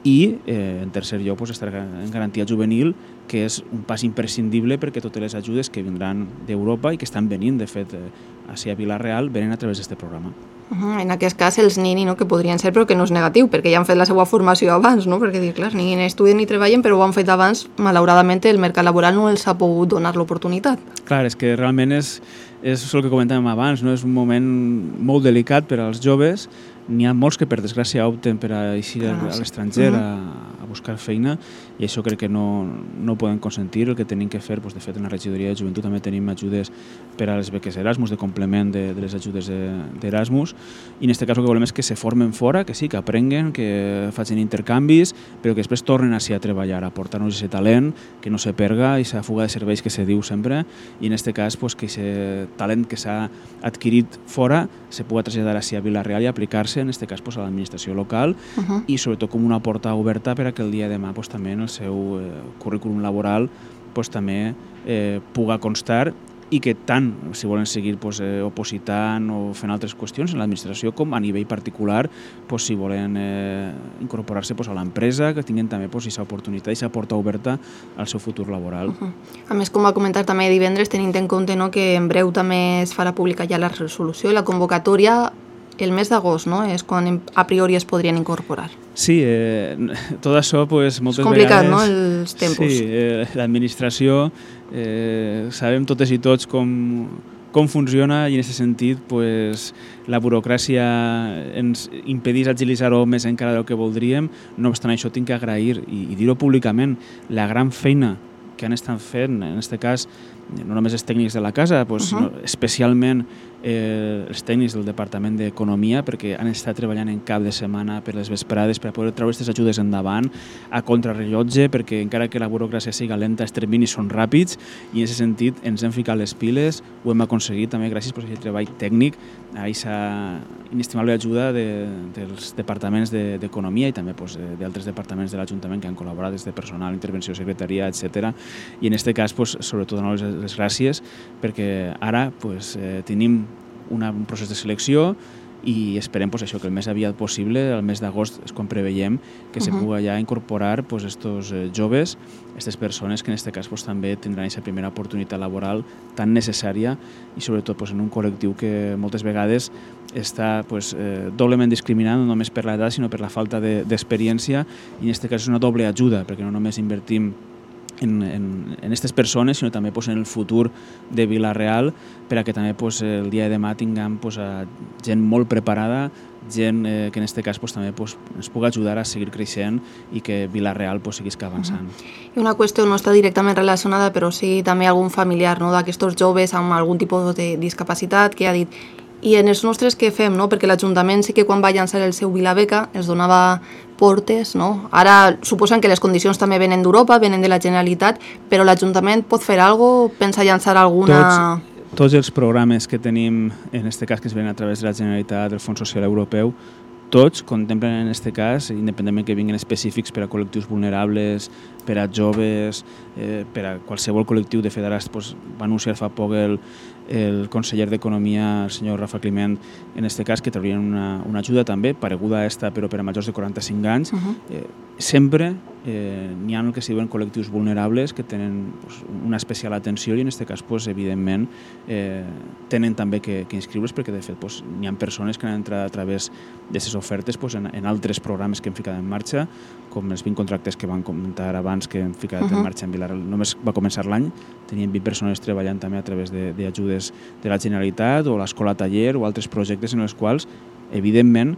i en tercer lloc estar en garantia juvenil, que és un pas imprescindible perquè totes les ajudes que vindran d'Europa i que estan venint, de fet, a Vila-real, venen a través d'aquest programa. En aquest cas, els nini, que podrien ser, però que no és negatiu, perquè ja han fet la seva formació abans, perquè, clar, ni estudien ni treballen, però ho han fet abans, malauradament el mercat laboral no els ha pogut donar l'oportunitat. Clar, és que realment és el que comentàvem abans, és un moment molt delicat per als joves. N'hi ha molts que, per desgràcia, opten per a eixir a l'estranger a buscar feina, i això crec que no ho poden consentir. El que tenim que fer, de fet, en la regidoria de joventut també tenim ajudes per a les beques Erasmus, de complement de les ajudes d'Erasmus, i en aquest cas el que volem és que se formen fora, que sí, que aprenguen, que facin intercanvis, però que després tornen així a treballar, a aportar-nos aquest talent, que no se perga, i aquesta fuga de serveis que se diu sempre, i en aquest cas que aquest talent que s'ha adquirit fora se pugui traslladar així a Vila-real i aplicar-se, en aquest cas, a l'administració local, i sobretot com una porta oberta per a que el dia de demà també en el seu currículum laboral també pugui constar, i que tant, si volen seguir opositant o fent altres qüestions en l'administració, com a nivell particular, si volen incorporar-se a l'empresa, que tinguin també aquesta oportunitat i aquesta porta oberta al seu futur laboral. A més, com va comentar també divendres, tenint en compte que en breu també es farà pública ja la resolució i la convocatòria, el mes d'agost, no? És quan a priori es podrien incorporar. Sí, tot això moltes vegades... És complicat, no?, els tempos. Sí, l'administració, sabem totes i tots com funciona, i en aquest sentit la burocràcia ens impedeix agilitzar-ho més encara del que voldríem. No obstant això, tinc que agrair i dir-ho públicament la gran feina que han estat fent, en aquest cas, no només els tècnics de la casa, especialment els tècnics del Departament d'Economia, perquè han estat treballant en cap de setmana per les vesprades per a poder treure aquestes ajudes endavant a contrarrellotge, perquè encara que la burocràcia siga lenta, els terminis són ràpids, i en aquest sentit ens hem ficat les piles, ho hem aconseguit també gràcies a aquest treball tècnic, a aquesta inestimable ajuda dels departaments d'Economia i també d'altres departaments de l'Ajuntament que han col·laborat, des de personal, intervenció, secretaria, etc. I en aquest cas, sobretot, donar les gràcies, perquè ara tenim un procés de selecció i esperem això, que el més aviat possible, el mes d'agost, és quan preveiem que se pugui ja incorporar estos joves, aquestes persones que en aquest cas també tindran aquesta primera oportunitat laboral tan necessària, i sobretot en un col·lectiu que moltes vegades està doblement discriminat, no només per l'edat sinó per la falta d'experiència, i en aquest cas és una doble ajuda, perquè no només invertim en aquestes persones, sinó també en el futur de Vila-real, per a que també el dia de demà tinguem gent molt preparada, gent que en aquest cas també ens pugui ajudar a seguir creixent i que Vila-real seguís avançant. I una qüestió no està directament relacionada, però sí també algun familiar d'aquests joves amb algun tipus de discapacitat que ha dit: i en els nostres què fem? Perquè l'Ajuntament sí que quan va llançar el seu Vilabeca els donava portes, no? Ara suposen que les condicions també venen d'Europa, venen de la Generalitat, però l'Ajuntament pot fer alguna cosa? Pensa llançar alguna... Tots els programes que tenim, en aquest cas que es venen a través de la Generalitat, del Fons Social Europeu, tots contemplen en aquest cas, independentment que vinguin específics per a col·lectius vulnerables, per a joves, per a qualsevol col·lectiu. De fet, ara va anunciar fa poc el conseller d'Economia, el senyor Rafa Climent, en aquest cas, que traurien una ajuda també, pareguda a esta, però per a majors de 45 anys. Sempre n'hi ha el que es diuen col·lectius vulnerables que tenen una especial atenció, i en aquest cas, evidentment, tenen també que inscriure's, perquè de fet n'hi ha persones que han entrat a través d'aquestes ofertes en altres programes que hem ficat en marxa, com els 20 contractes que van comentar abans que hem ficat en marxa en Vila-real. Només va començar l'any, teníem 20 persones treballant també a través d'ajudes de la Generalitat o l'escola taller o altres projectes en els quals, evidentment,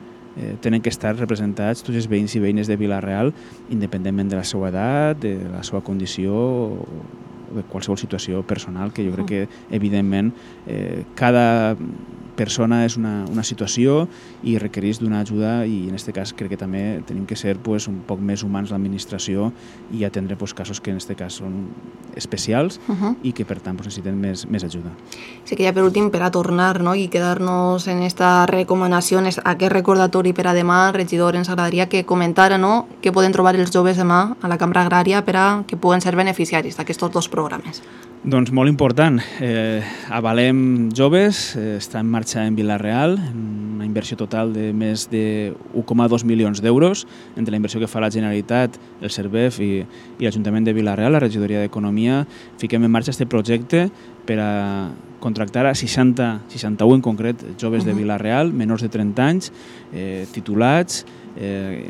tenen que estar representats tots els veïns i veïnes de Vila-real, independentment de la seva edat, de la seva condició o de qualsevol situació personal, que jo crec que, evidentment, cada persona és una situació i requereix d'una ajuda, i en aquest cas crec que també tenim que ser un poc més humans l'administració i atendre casos que en aquest cas són especials i que per tant necessiten més ajuda. Sí que ja per últim, per a tornar i quedar-nos en aquesta recomanació, aquest recordatori per a demà, regidor, ens agradaria que comentara què poden trobar els joves demà a la Cambra Agrària per a que puguen ser beneficiaris d'aquests dos programes. Doncs molt important. Avalem joves, està en marxa en Vila-real, una inversió total de més de 1,2 milions d'euros, entre la inversió que fa la Generalitat, el CERVEF i l'Ajuntament de Vila-real, la regidoria d'Economia. Fiquem en marxa aquest projecte per a contractar a 61 en concret joves de Vila-real, menors de 30 anys, titulats,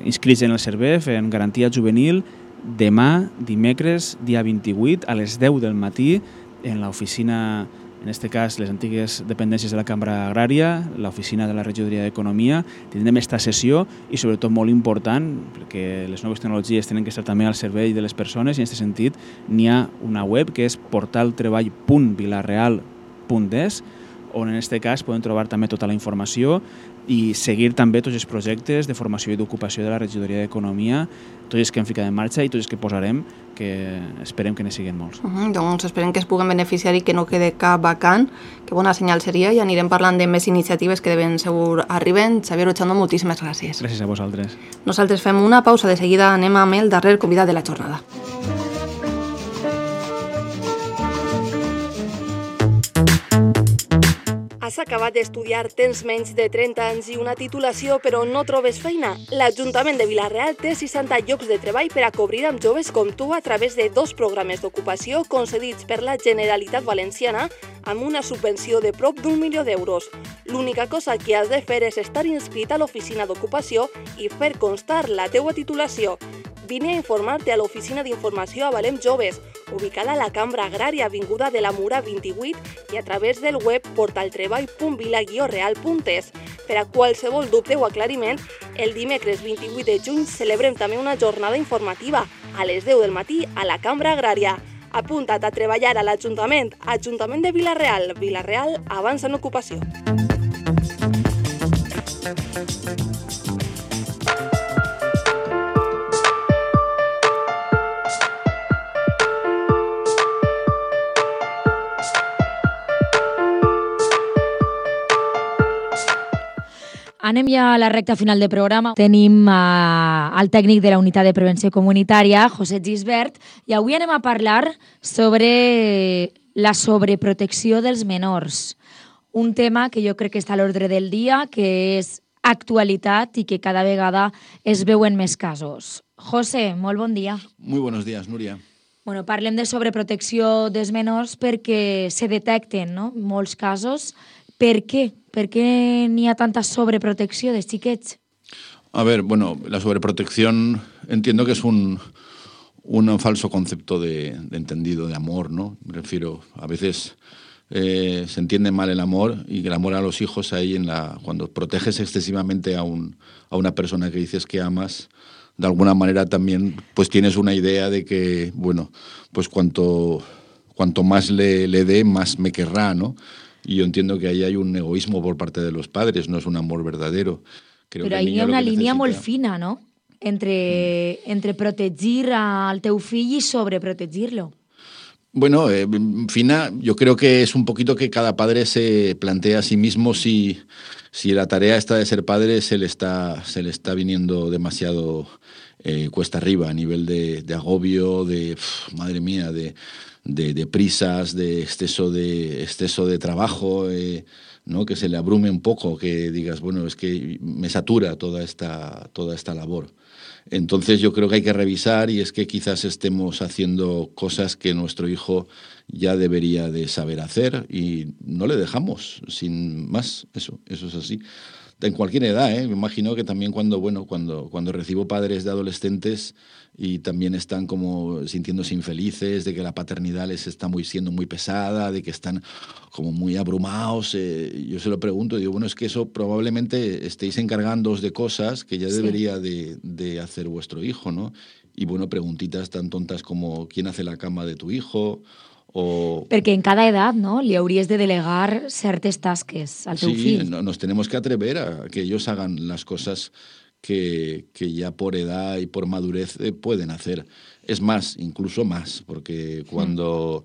inscrits en el CERVEF, en garantia juvenil, demà, dimecres, dia 28, a les 10 del matí, en l'oficina en aquest cas les antigues dependències de la Cambra Agrària, l'oficina de la Regidoria d'Economia. Tindrem esta sessió i sobretot molt important, perquè les noves tecnologies tenen que estar també al servei de les persones i en aquest sentit n'hi ha una web que és portaltreball.vilareal.es, on en aquest cas podem trobar també tota la informació i seguir també tots els projectes de formació i d'ocupació de la Regidoria d'Economia, tots els que hem ficat en marxa i tots els que posarem, que esperem que ne siguin molts. Doncs esperem que es puguen beneficiar i que no quede cap vacant, que bona senyal seria, i anirem parlant de més iniciatives que de ben segur arriben. Xavier Ochando, moltíssimes gràcies. Gràcies a vosaltres. Nosaltres fem una pausa, de seguida anem amb el darrer convidat de la jornada. Has acabat d'estudiar, tens menys de 30 anys i una titulació però no trobes feina? L'Ajuntament de Vila-real té 60 llocs de treball per a cobrir amb joves com tu a través de 2 programes d'ocupació concedits per la Generalitat Valenciana amb una subvenció de prop d'1 milió d'euros. L'única cosa que has de fer és estar inscrit a l'oficina d'ocupació i fer constar la teua titulació. Vine a informar-te a l'Oficina d'Informació a Valem Joves, ubicada a la Cambra Agrària, avinguda de la Mura 28 i a través del web portaltreball.vila-real.es. Per a qualsevol dubte o aclariment, el dimecres 28 de juny celebrem també una jornada informativa a les 10 del matí a la Cambra Agrària. Apunta't a treballar a l'Ajuntament, Ajuntament de Vila-real. Vila-real avança en ocupació. Anem ja a la recta final del programa. Tenim el tècnic de la Unitat de Prevenció Comunitària, José Gisbert, i avui anem a parlar sobre la sobreprotecció dels menors. Un tema que jo crec que està a l'ordre del dia, que és actualitat i que cada vegada es veuen més casos. José, molt bon dia. Muy buenos días, Núria. Bueno, parlem de sobreprotecció dels menors perquè se detecten, no?, molts casos. Per què? Per què n'hi ha tanta sobreprotecció de xiquets? A ver, bueno, la sobreprotección entiendo que es un falso concepto de entendido de amor, ¿no? Me refiero, a veces se entiende mal el amor y que el amor a los hijos ahí cuando proteges excesivamente a una persona que dices que amas, de alguna manera también pues tienes una idea de que, bueno, pues cuanto más le dé, más me querrá, ¿no? Y yo entiendo que ahí hay un egoísmo por parte de los padres, no es un amor verdadero. Creo Però ahí hi ha una línia molt fina, no?, entre protegir al teu fill y sobreprotegirlo. Bueno, fina, yo creo que es un poquito que cada padre se plantea a sí mismo si la tarea esta de ser padre se le está viniendo demasiado cuesta arriba a nivel de agobio, madre mía, de prisas, de exceso de trabajo, ¿no? Que se le abrume un poco, que digas, bueno, es que me satura toda esta labor. Entonces yo creo que hay que revisar y es que quizás estemos haciendo cosas que nuestro hijo ya debería de saber hacer y no le dejamos, sin más, eso es así. En cualquier edad, me imagino que también cuando recibo padres de adolescentes y también están como sintiéndose infelices, de que la paternidad les está siendo muy pesada, de que están como muy abrumados, yo se lo pregunto, digo, bueno, es que eso probablemente estéis encargándoos de cosas que ya debería de hacer vuestro hijo, ¿no? Y bueno, preguntitas tan tontas como ¿quién hace la cama de tu hijo? Perquè en cada edat, no?, li hauries de delegar certes tasques al teu fill. Sí, nos tenemos que atrever a que ellos hagan las cosas que ya por edad y por madurez pueden hacer. Es más, incluso más, porque cuando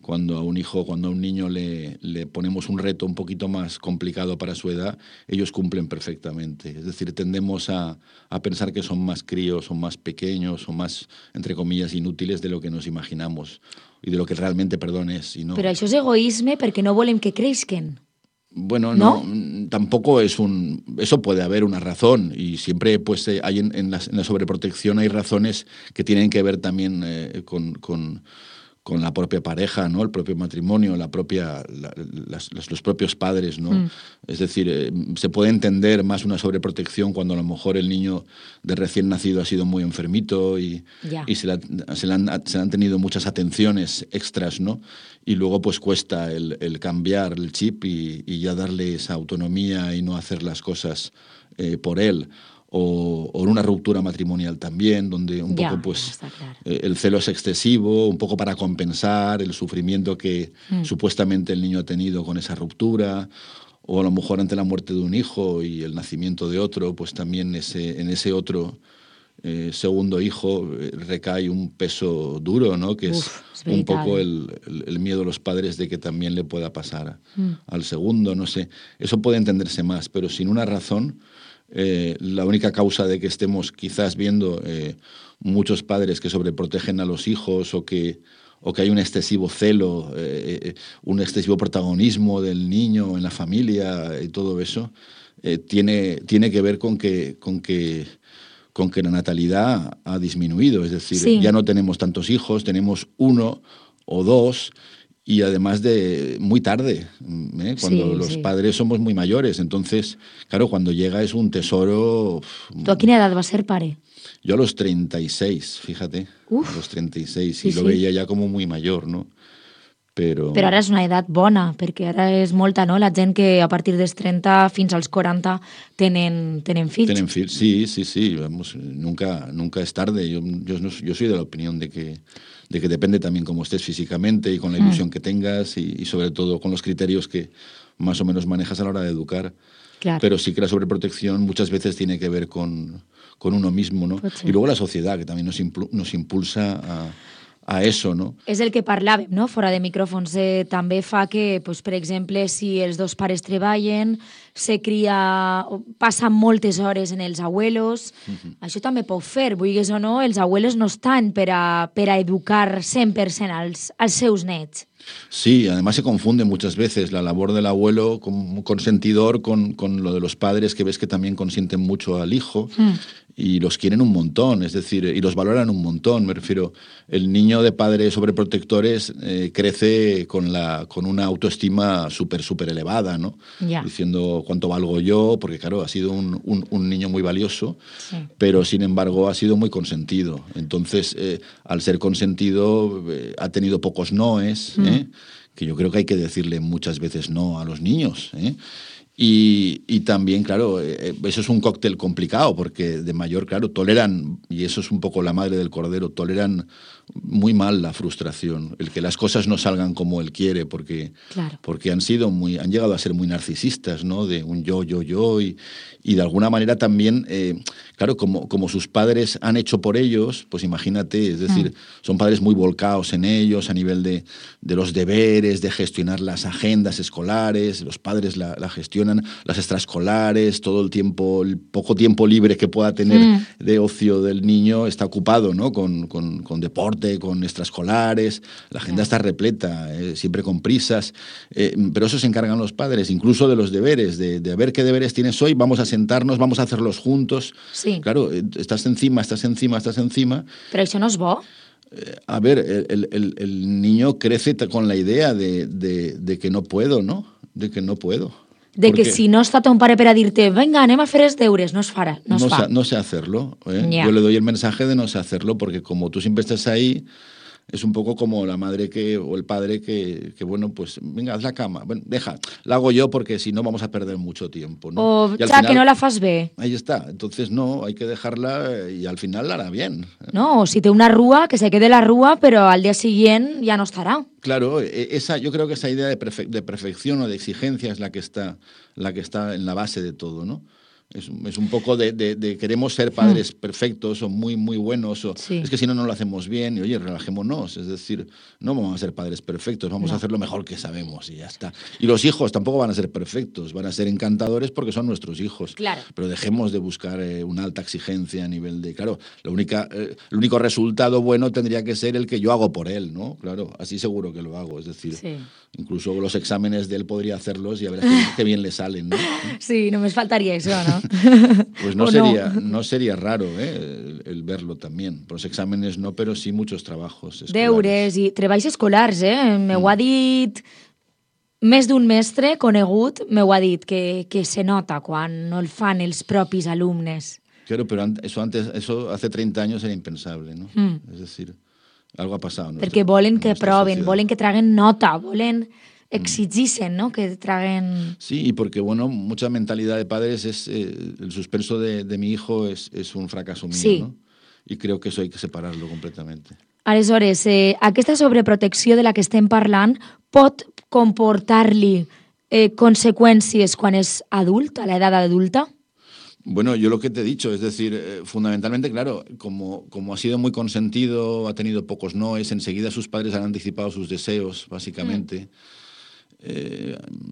a un hijo, cuando a un niño le ponemos un reto un poquito más complicado para su edad, ellos cumplen perfectamente. Es decir, tendemos a pensar que son más críos, son más pequeños, son más, entre comillas, inútiles de lo que nos imaginamos y de lo que realmente, es. Y no. Però això és egoisme perquè no volem que creixen. Bueno, no, tampoco es eso puede haber una razón y siempre pues hay en la sobreprotección hay razones que tienen que ver también con con la propia pareja, ¿no? El propio matrimonio, los propios padres, ¿no? Es decir, se puede entender más una sobreprotección cuando a lo mejor el niño de recién nacido ha sido muy enfermito y se le han tenido muchas atenciones extras, ¿no? Y luego pues cuesta el cambiar el chip y ya darle esa autonomía y no hacer las cosas por él. O una ruptura matrimonial también, donde un poco pues el celo es excesivo, un poco para compensar el sufrimiento que supuestamente el niño ha tenido con esa ruptura, o a lo mejor ante la muerte de un hijo y el nacimiento de otro, pues también en ese otro segundo hijo recae un peso duro, ¿no? Que es un poco el miedo de los padres de que también le pueda pasar al segundo, no sé. Eso puede entenderse más, pero sin una razón. La única causa de que estemos quizás viendo muchos padres que sobreprotegen a los hijos o que hay un excesivo celo, un excesivo protagonismo del niño en la familia y todo eso, tiene que ver con que la natalidad ha disminuido. Es decir, ya no tenemos tantos hijos, tenemos uno o dos. Y además de muy tarde, cuando los padres somos muy mayores. Entonces, claro, cuando llega es un tesoro. ¿Tú a quina edad vas a ser pare? Yo a los 36, fíjate. A los 36, y lo veía ya como muy mayor, ¿no? Però ara és una edat bona, perquè ara és molta, no? La gent que a partir dels 30 fins als 40 tenen fills. Tienen fills, sí. Vamos, nunca es tarde. Yo soy de la opinión de que depende también cómo estés físicamente y con la ilusión que tengas y sobre todo con los criterios que más o menos manejas a la hora de educar. Claro. Pero sí que la sobreprotección muchas veces tiene que ver con uno mismo, ¿no? Y luego la sociedad, que también nos impulsa a eso, no? És el que parlàvem, no? Fora de micròfons. També fa que, pues, per exemple, si els dos pares treballen, passen moltes hores en els abuelos, això també pot fer, vulguis o no, els abuelos no estan per a educar 100% als seus nets. Sí, además se confunde muchas veces la labor del abuelo como consentidor con lo de los padres, que ves que también consienten mucho al hijo y los quieren un montón, es decir, y los valoran un montón. Me refiero, el niño de padres sobreprotectores crece con una autoestima súper elevada, ¿no? Diciendo cuánto valgo yo, porque claro, ha sido un niño muy valioso, pero sin embargo ha sido muy consentido. Entonces, al ser consentido, ha tenido pocos noes, que yo creo que hay que decirle muchas veces no a los niños, Y también, claro, eso es un cóctel complicado, porque de mayor, claro, toleran, y eso es un poco la madre del cordero, toleran muy mal la frustración, el que las cosas no salgan como él quiere, porque han llegado a ser muy narcisistas, ¿no? De un yo, y de alguna manera también, claro, como sus padres han hecho por ellos, pues imagínate, es decir, son padres muy volcados en ellos a nivel de los deberes, de gestionar las agendas escolares, los padres la gestionan, las extraescolares, todo el poco tiempo libre que pueda tener de ocio del niño está ocupado, ¿no? Con deporte, con extraescolares, la agenda está repleta, siempre con prisas, pero eso se encargan los padres, incluso de los deberes, de ver qué deberes tienes hoy, vamos a sentarnos, vamos a hacerlos juntos. Sí. Claro, estás encima. Però això no és bo? A ver, el niño crece con la idea de que no puedo, ¿no? De que no puedo. Que si no està ton pare per a dir-te venga, anem a fer els deures, no es farà. No sé hacerlo. Yo le doy el mensaje de no sé hacerlo, porque como tú siempre estás ahí, es un poco como la madre o el padre que bueno, pues venga, haz la cama. Bueno, la hago yo porque si no vamos a perder mucho tiempo, ¿no? O que no la fas bé. Ahí está. Entonces no, hay que dejarla y al final la hará bien. No, o si té una rúa, que se quede la rúa, pero al día siguiente ya no estará. Claro, yo creo que esa idea de perfección o de exigencia es la que está en la base de todo, ¿no? Es un poco de queremos ser padres perfectos o muy, muy buenos, es que si no lo hacemos bien, y oye, relajémonos, es decir, no vamos a ser padres perfectos, vamos a hacer lo mejor que sabemos y ya está. Y los hijos tampoco van a ser perfectos, van a ser encantadores porque son nuestros hijos. Claro. Pero dejemos de buscar una alta exigencia a nivel de, claro, el único resultado bueno tendría que ser el que yo hago por él, ¿no? Claro, así seguro que lo hago, es decir, incluso los exámenes de él podría hacerlos y a ver qué bien le salen, ¿no? Sí, només faltaria això, no? Cataluña. Pues no sería raro el verlo también. Los exámenes no, pero sí muchos trabajos escolares. Deures i treballs escolars, M'ho ha dit més d'un mestre conegut, m'ho ha dit, que se nota quan no el fan els propis alumnes. Claro, pero eso hace 30 años era impensable, ¿no? Es decir, algo ha pasado. Perquè volen que proven, volen que traguen nota, volen exigixen, ¿no? Que traguen... Sí, y porque, bueno, mucha mentalidad de padres es el suspenso de mi hijo es un fracaso mío, sí. ¿no? Y creo que eso hay que separarlo completamente. Aleshores, aquesta sobreprotecció de la que estem parlant pot comportar-li conseqüències quan és adult, a l'edat adulta? Bueno, yo lo que te he dicho, es decir, fundamentalmente, claro, como ha sido muy consentido, ha tenido pocos noes, enseguida sus padres han anticipado sus deseos, básicamente.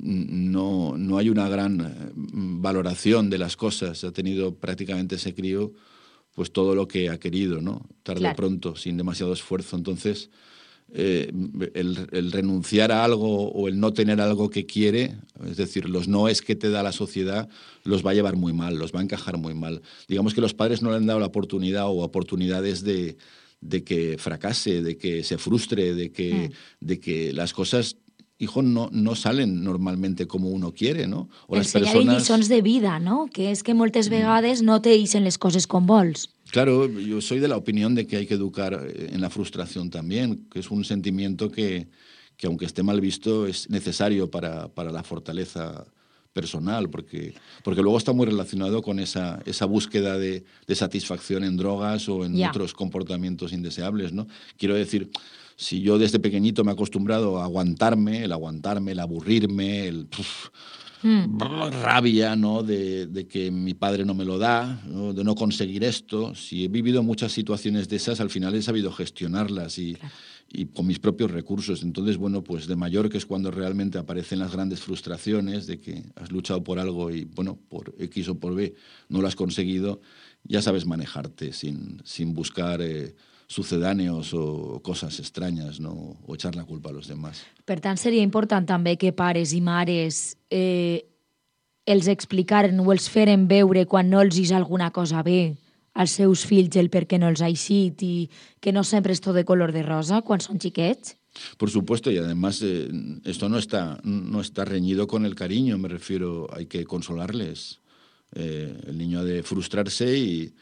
No hay una gran valoración de las cosas. Ha tenido prácticamente ese crío pues todo lo que ha querido, ¿no? Tarde o pronto, sin demasiado esfuerzo. Entonces, el renunciar a algo o el no tener algo que quiere, es decir, los noes que te da la sociedad, los va a llevar muy mal, los va a encajar muy mal. Digamos que los padres no le han dado la oportunidad o oportunidades de que fracase, de que se frustre, de que las cosas, hijo, no salen normalmente como uno quiere, no? O les persones... lliçons de vida, no? Que és que moltes vegades no te deixen les coses com vols. Claro, yo soy de la opinión de que hay que educar en la frustración también, que es un sentimiento que aunque esté mal visto, es necesario para la fortaleza personal, porque luego está muy relacionado con esa búsqueda de satisfacción en drogas o en otros comportamientos indeseables, ¿no? Quiero decir, si yo desde pequeñito me he acostumbrado a aguantarme, el aburrirme, rabia, ¿no? de que mi padre no me lo da, ¿no? De no conseguir esto. Si he vivido muchas situaciones de esas, al final he sabido gestionarlas y con mis propios recursos. Entonces, bueno, pues de mayor, que es cuando realmente aparecen las grandes frustraciones de que has luchado por algo y, bueno, por X o por B no lo has conseguido, ya sabes manejarte sin buscar sucedáneos o coses estranyes, no? O echar la culpa a los demás. Per tant, seria important també que pares i mares els explicaren o els feren veure quan no els és alguna cosa bé als seus fills el per què no els ha eixit i que no sempre és tot de color de rosa quan són xiquets? Por supuesto, y además esto no está reñido con el cariño, me refiero, hay que consolarles. El niño ha de frustrarse y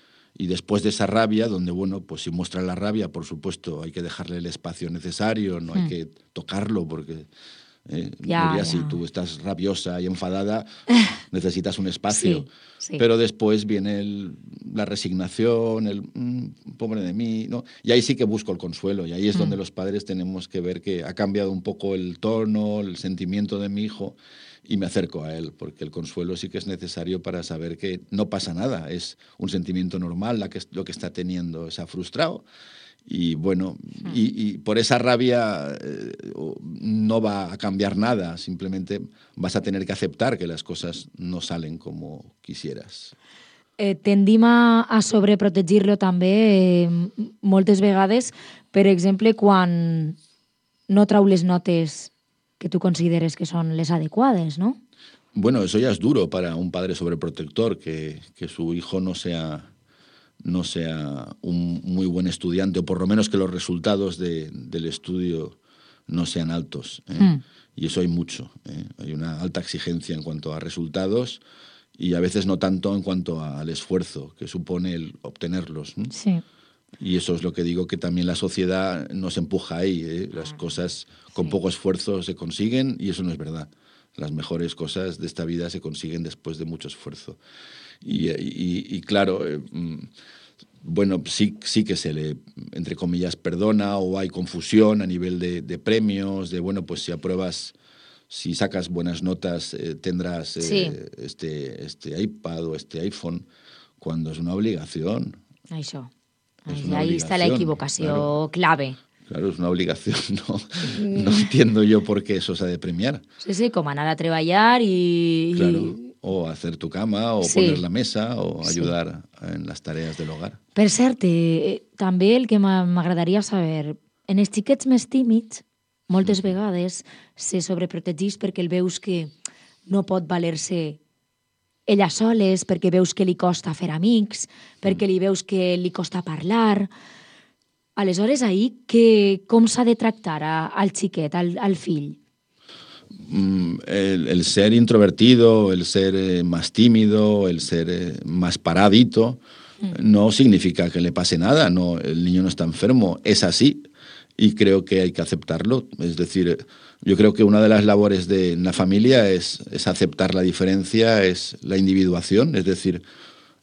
después de esa rabia, donde, bueno, pues si muestra la rabia, por supuesto, hay que dejarle el espacio necesario, no hay que tocarlo, porque si tú estás rabiosa y enfadada, necesitas un espacio. Sí. Pero después viene la resignación, el pobre de mí, ¿no? Y ahí sí que busco el consuelo, y ahí es donde los padres tenemos que ver que ha cambiado un poco el tono, el sentimiento de mi hijo, y me acerco a él, porque el consuelo sí que es necesario para saber que no pasa nada, es un sentimiento normal lo que está teniendo, se ha frustrado, y bueno, y por esa rabia no va a cambiar nada, simplemente vas a tener que aceptar que las cosas no salen como quisieras. Tendim a sobreprotegir-lo també moltes vegades, per exemple, quan no trau les notes que tú consideres que son les adecuades, ¿no? Bueno, eso ya es duro para un padre sobreprotector, que su hijo no sea un muy buen estudiante, o por lo menos que los resultados del estudio no sean altos. Y eso hay mucho. Hay una alta exigencia en cuanto a resultados y a veces no tanto en cuanto al esfuerzo que supone el obtenerlos. Sí. Y eso es lo que digo, que también la sociedad nos empuja ahí. Las cosas con poco esfuerzo se consiguen y eso no es verdad. Las mejores cosas de esta vida se consiguen después de mucho esfuerzo. Y claro, bueno, sí que se le, entre comillas, perdona, o hay confusión a nivel de premios, de, bueno, pues si apruebas, si sacas buenas notas, tendrás este iPad o este iPhone, cuando es una obligación. Això. Ahí está la equivocació clave. Claro, es una obligación, no entiendo yo por qué eso se ha de premiar. Sí, com anar a treballar i... Claro, o hacer tu cama, o poner la mesa, o ayudar en las tareas del hogar. Per cert, també el que m'agradaria saber, en els xiquets més tímids, moltes vegades se sobreprotegeix perquè el veus que no pot valer-se ella soles, perquè veus que li costa fer amics, perquè li veus que li costa parlar. Aleshores, ahir, com s'ha de tractar al xiquet, al fill? El ser introvertido, el ser más tímido, el ser más paradito, no significa que le pase nada, no, el niño no está enfermo, es así y creo que hay que aceptarlo. Es decir, yo creo que una de las labores de la familia es aceptar la diferencia, es la individuación, es decir,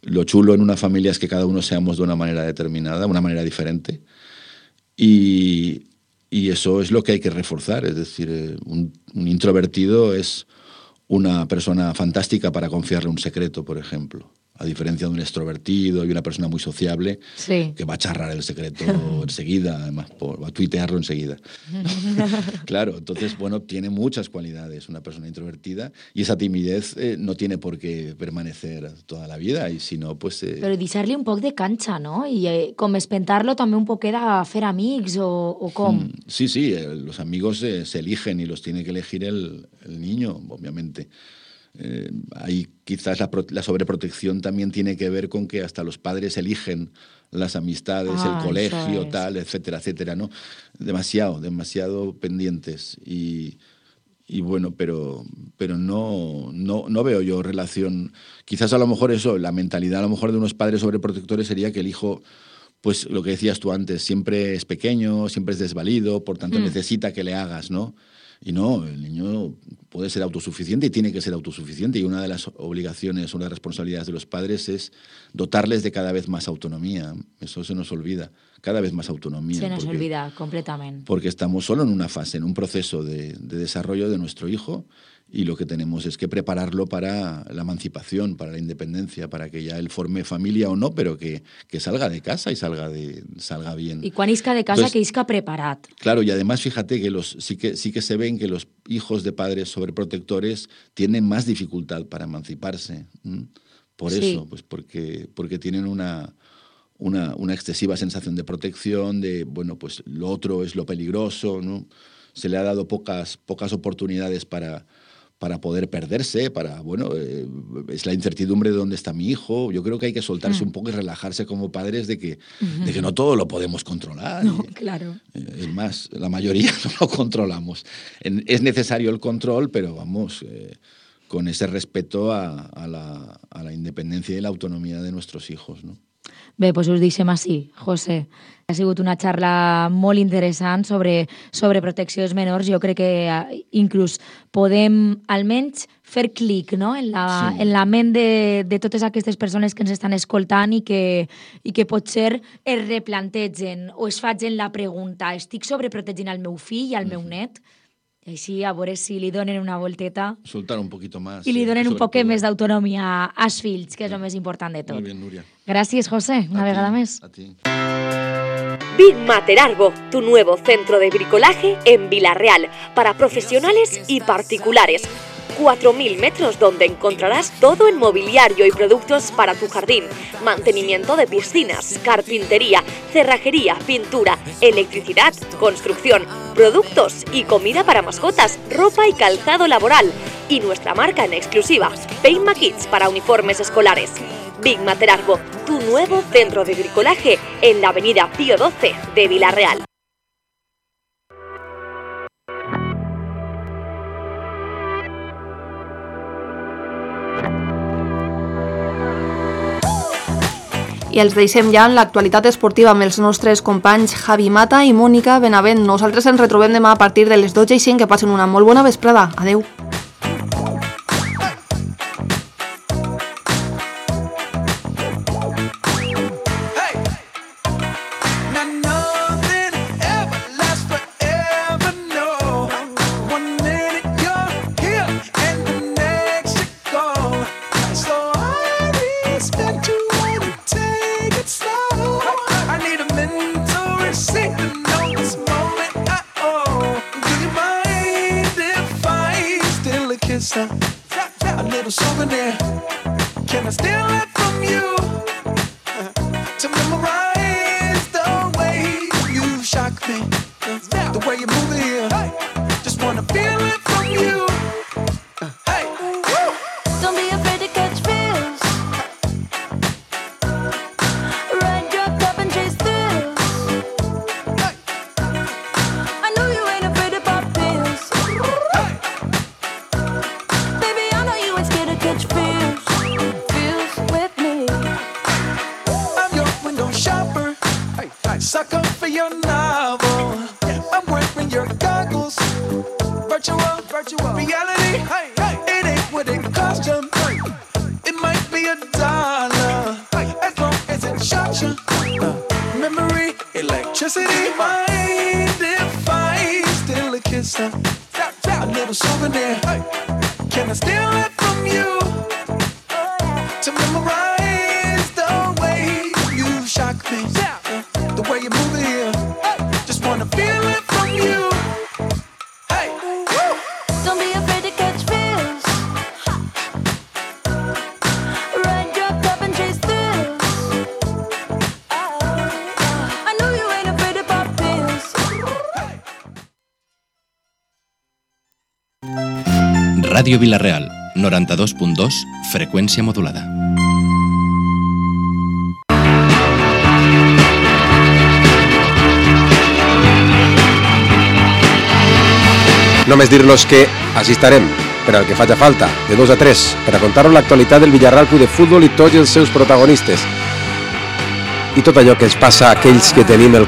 lo chulo en una familia es que cada uno seamos de una manera determinada, una manera diferente y eso es lo que hay que reforzar, es decir, un introvertido es una persona fantástica para confiarle un secreto, por ejemplo. A diferencia de un extrovertido y una persona muy sociable, sí, que va a charrar el secreto enseguida, además va a tuitearlo enseguida. Claro, entonces, bueno, tiene muchas cualidades una persona introvertida y esa timidez no tiene por qué permanecer toda la vida y si no, pues... Però deixar-li un poc de canxa, no? I com espentar-lo també un poquet a fer amics o com? Sí, los amigos se eligen y los tiene que elegir el niño, obviamente. Ahí quizás la sobreprotección también tiene que ver con que hasta los padres eligen las amistades, el colegio, tal, etcétera, etcétera, ¿no? Demasiado pendientes y bueno, pero no veo yo relación. Quizás a lo mejor eso, la mentalidad a lo mejor de unos padres sobreprotectores sería que el hijo, pues lo que decías tú antes, siempre es pequeño, siempre es desvalido, por tanto necesita que le hagas, ¿no? Y no, el niño puede ser autosuficiente y tiene que ser autosuficiente y una de las obligaciones, una de las responsabilidades de los padres es dotarles de cada vez más autonomía. Eso se nos olvida, cada vez más autonomía. Se nos olvida completamente. Porque estamos solo en una fase, en un proceso de desarrollo de nuestro hijo y lo que tenemos es que prepararlo para la emancipación, para la independencia, para que ya él forme familia o no, pero que salga de casa y salga bien. Y quan isca de casa, entonces, que isca preparat. Claro, y además fíjate que sí que se ven que los hijos de padres sobreprotectores tienen más dificultad para emanciparse. Por eso, pues porque tienen una excesiva sensación de protección, de, bueno, pues lo otro es lo peligroso, ¿no? Se le ha dado pocas oportunidades para poder perderse, es la incertidumbre de dónde está mi hijo. Yo creo que hay que soltarse un poco y relajarse como padres de que no todo lo podemos controlar. No, claro. Es más, la mayoría no lo controlamos. Es necesario el control, pero vamos, con ese respeto a la independencia y la autonomía de nuestros hijos, ¿no? Bé, doncs us deixem així, José. Ha sigut una xarra molt interessant sobre protecció dels menors. Jo crec que inclús podem almenys fer clic, no? en la ment de totes aquestes persones que ens estan escoltant i que potser es replantegen o es facin la pregunta: estic sobreprotegint el meu fill i el meu net? I així a veure si li donen una volteta. Soltar un poquito más. I li donen un poc més d'autonomia als fills, que és el més important de tot. Molt bé, Núria. Gràcies, José, una vegada més. A ti. Big Mater Arbo, tu nuevo centro de bricolaje en Vila-real, para profesionales y particulares. 4.000 metros donde encontrarás todo en mobiliario y productos para tu jardín, mantenimiento de piscinas, carpintería, cerrajería, pintura, electricidad, construcción, productos y comida para mascotas, ropa y calzado laboral. Y nuestra marca en exclusiva, Peima Kids para uniformes escolares. Big Mater Arbo, tu nuevo centro de bricolaje en la avenida Pío XII de Vila-real. I els deixem ja en l'actualitat esportiva amb els nostres companys Javi Mata i Mònica Benavent. Nosaltres ens retrobem demà a partir de les 12:05. Que passen una molt bona vesprada. Adeu. A little souvenir. Can I steal it from you? To memorize the way you shock me, the way you move it here. Just wanna feel it from you. Hey, don't be afraid to catch me. sucker for your novel. I'm wearing your goggles. Virtual reality. It ain't what it cost you. It might be $1 as long as it shocks you. Memory, electricity. Mind if I steal a kiss? A little souvenir. Can I steal it from you? To memorize the way you shock me, the way you move it here. Just wanna feel it from you. Hey, don't be afraid to catch feels. Ride your cup and chase thrills. I know you ain't afraid to pop pills. Ràdio Vila-real, 92.2, freqüència modulada. Només dir-los que així estarem, per al que faci falta, de 2 a 3, per a contar-vos l'actualitat del Villarreal Club de Futbol i tots els seus protagonistes. I tot allò que ens passa a aquells que tenim el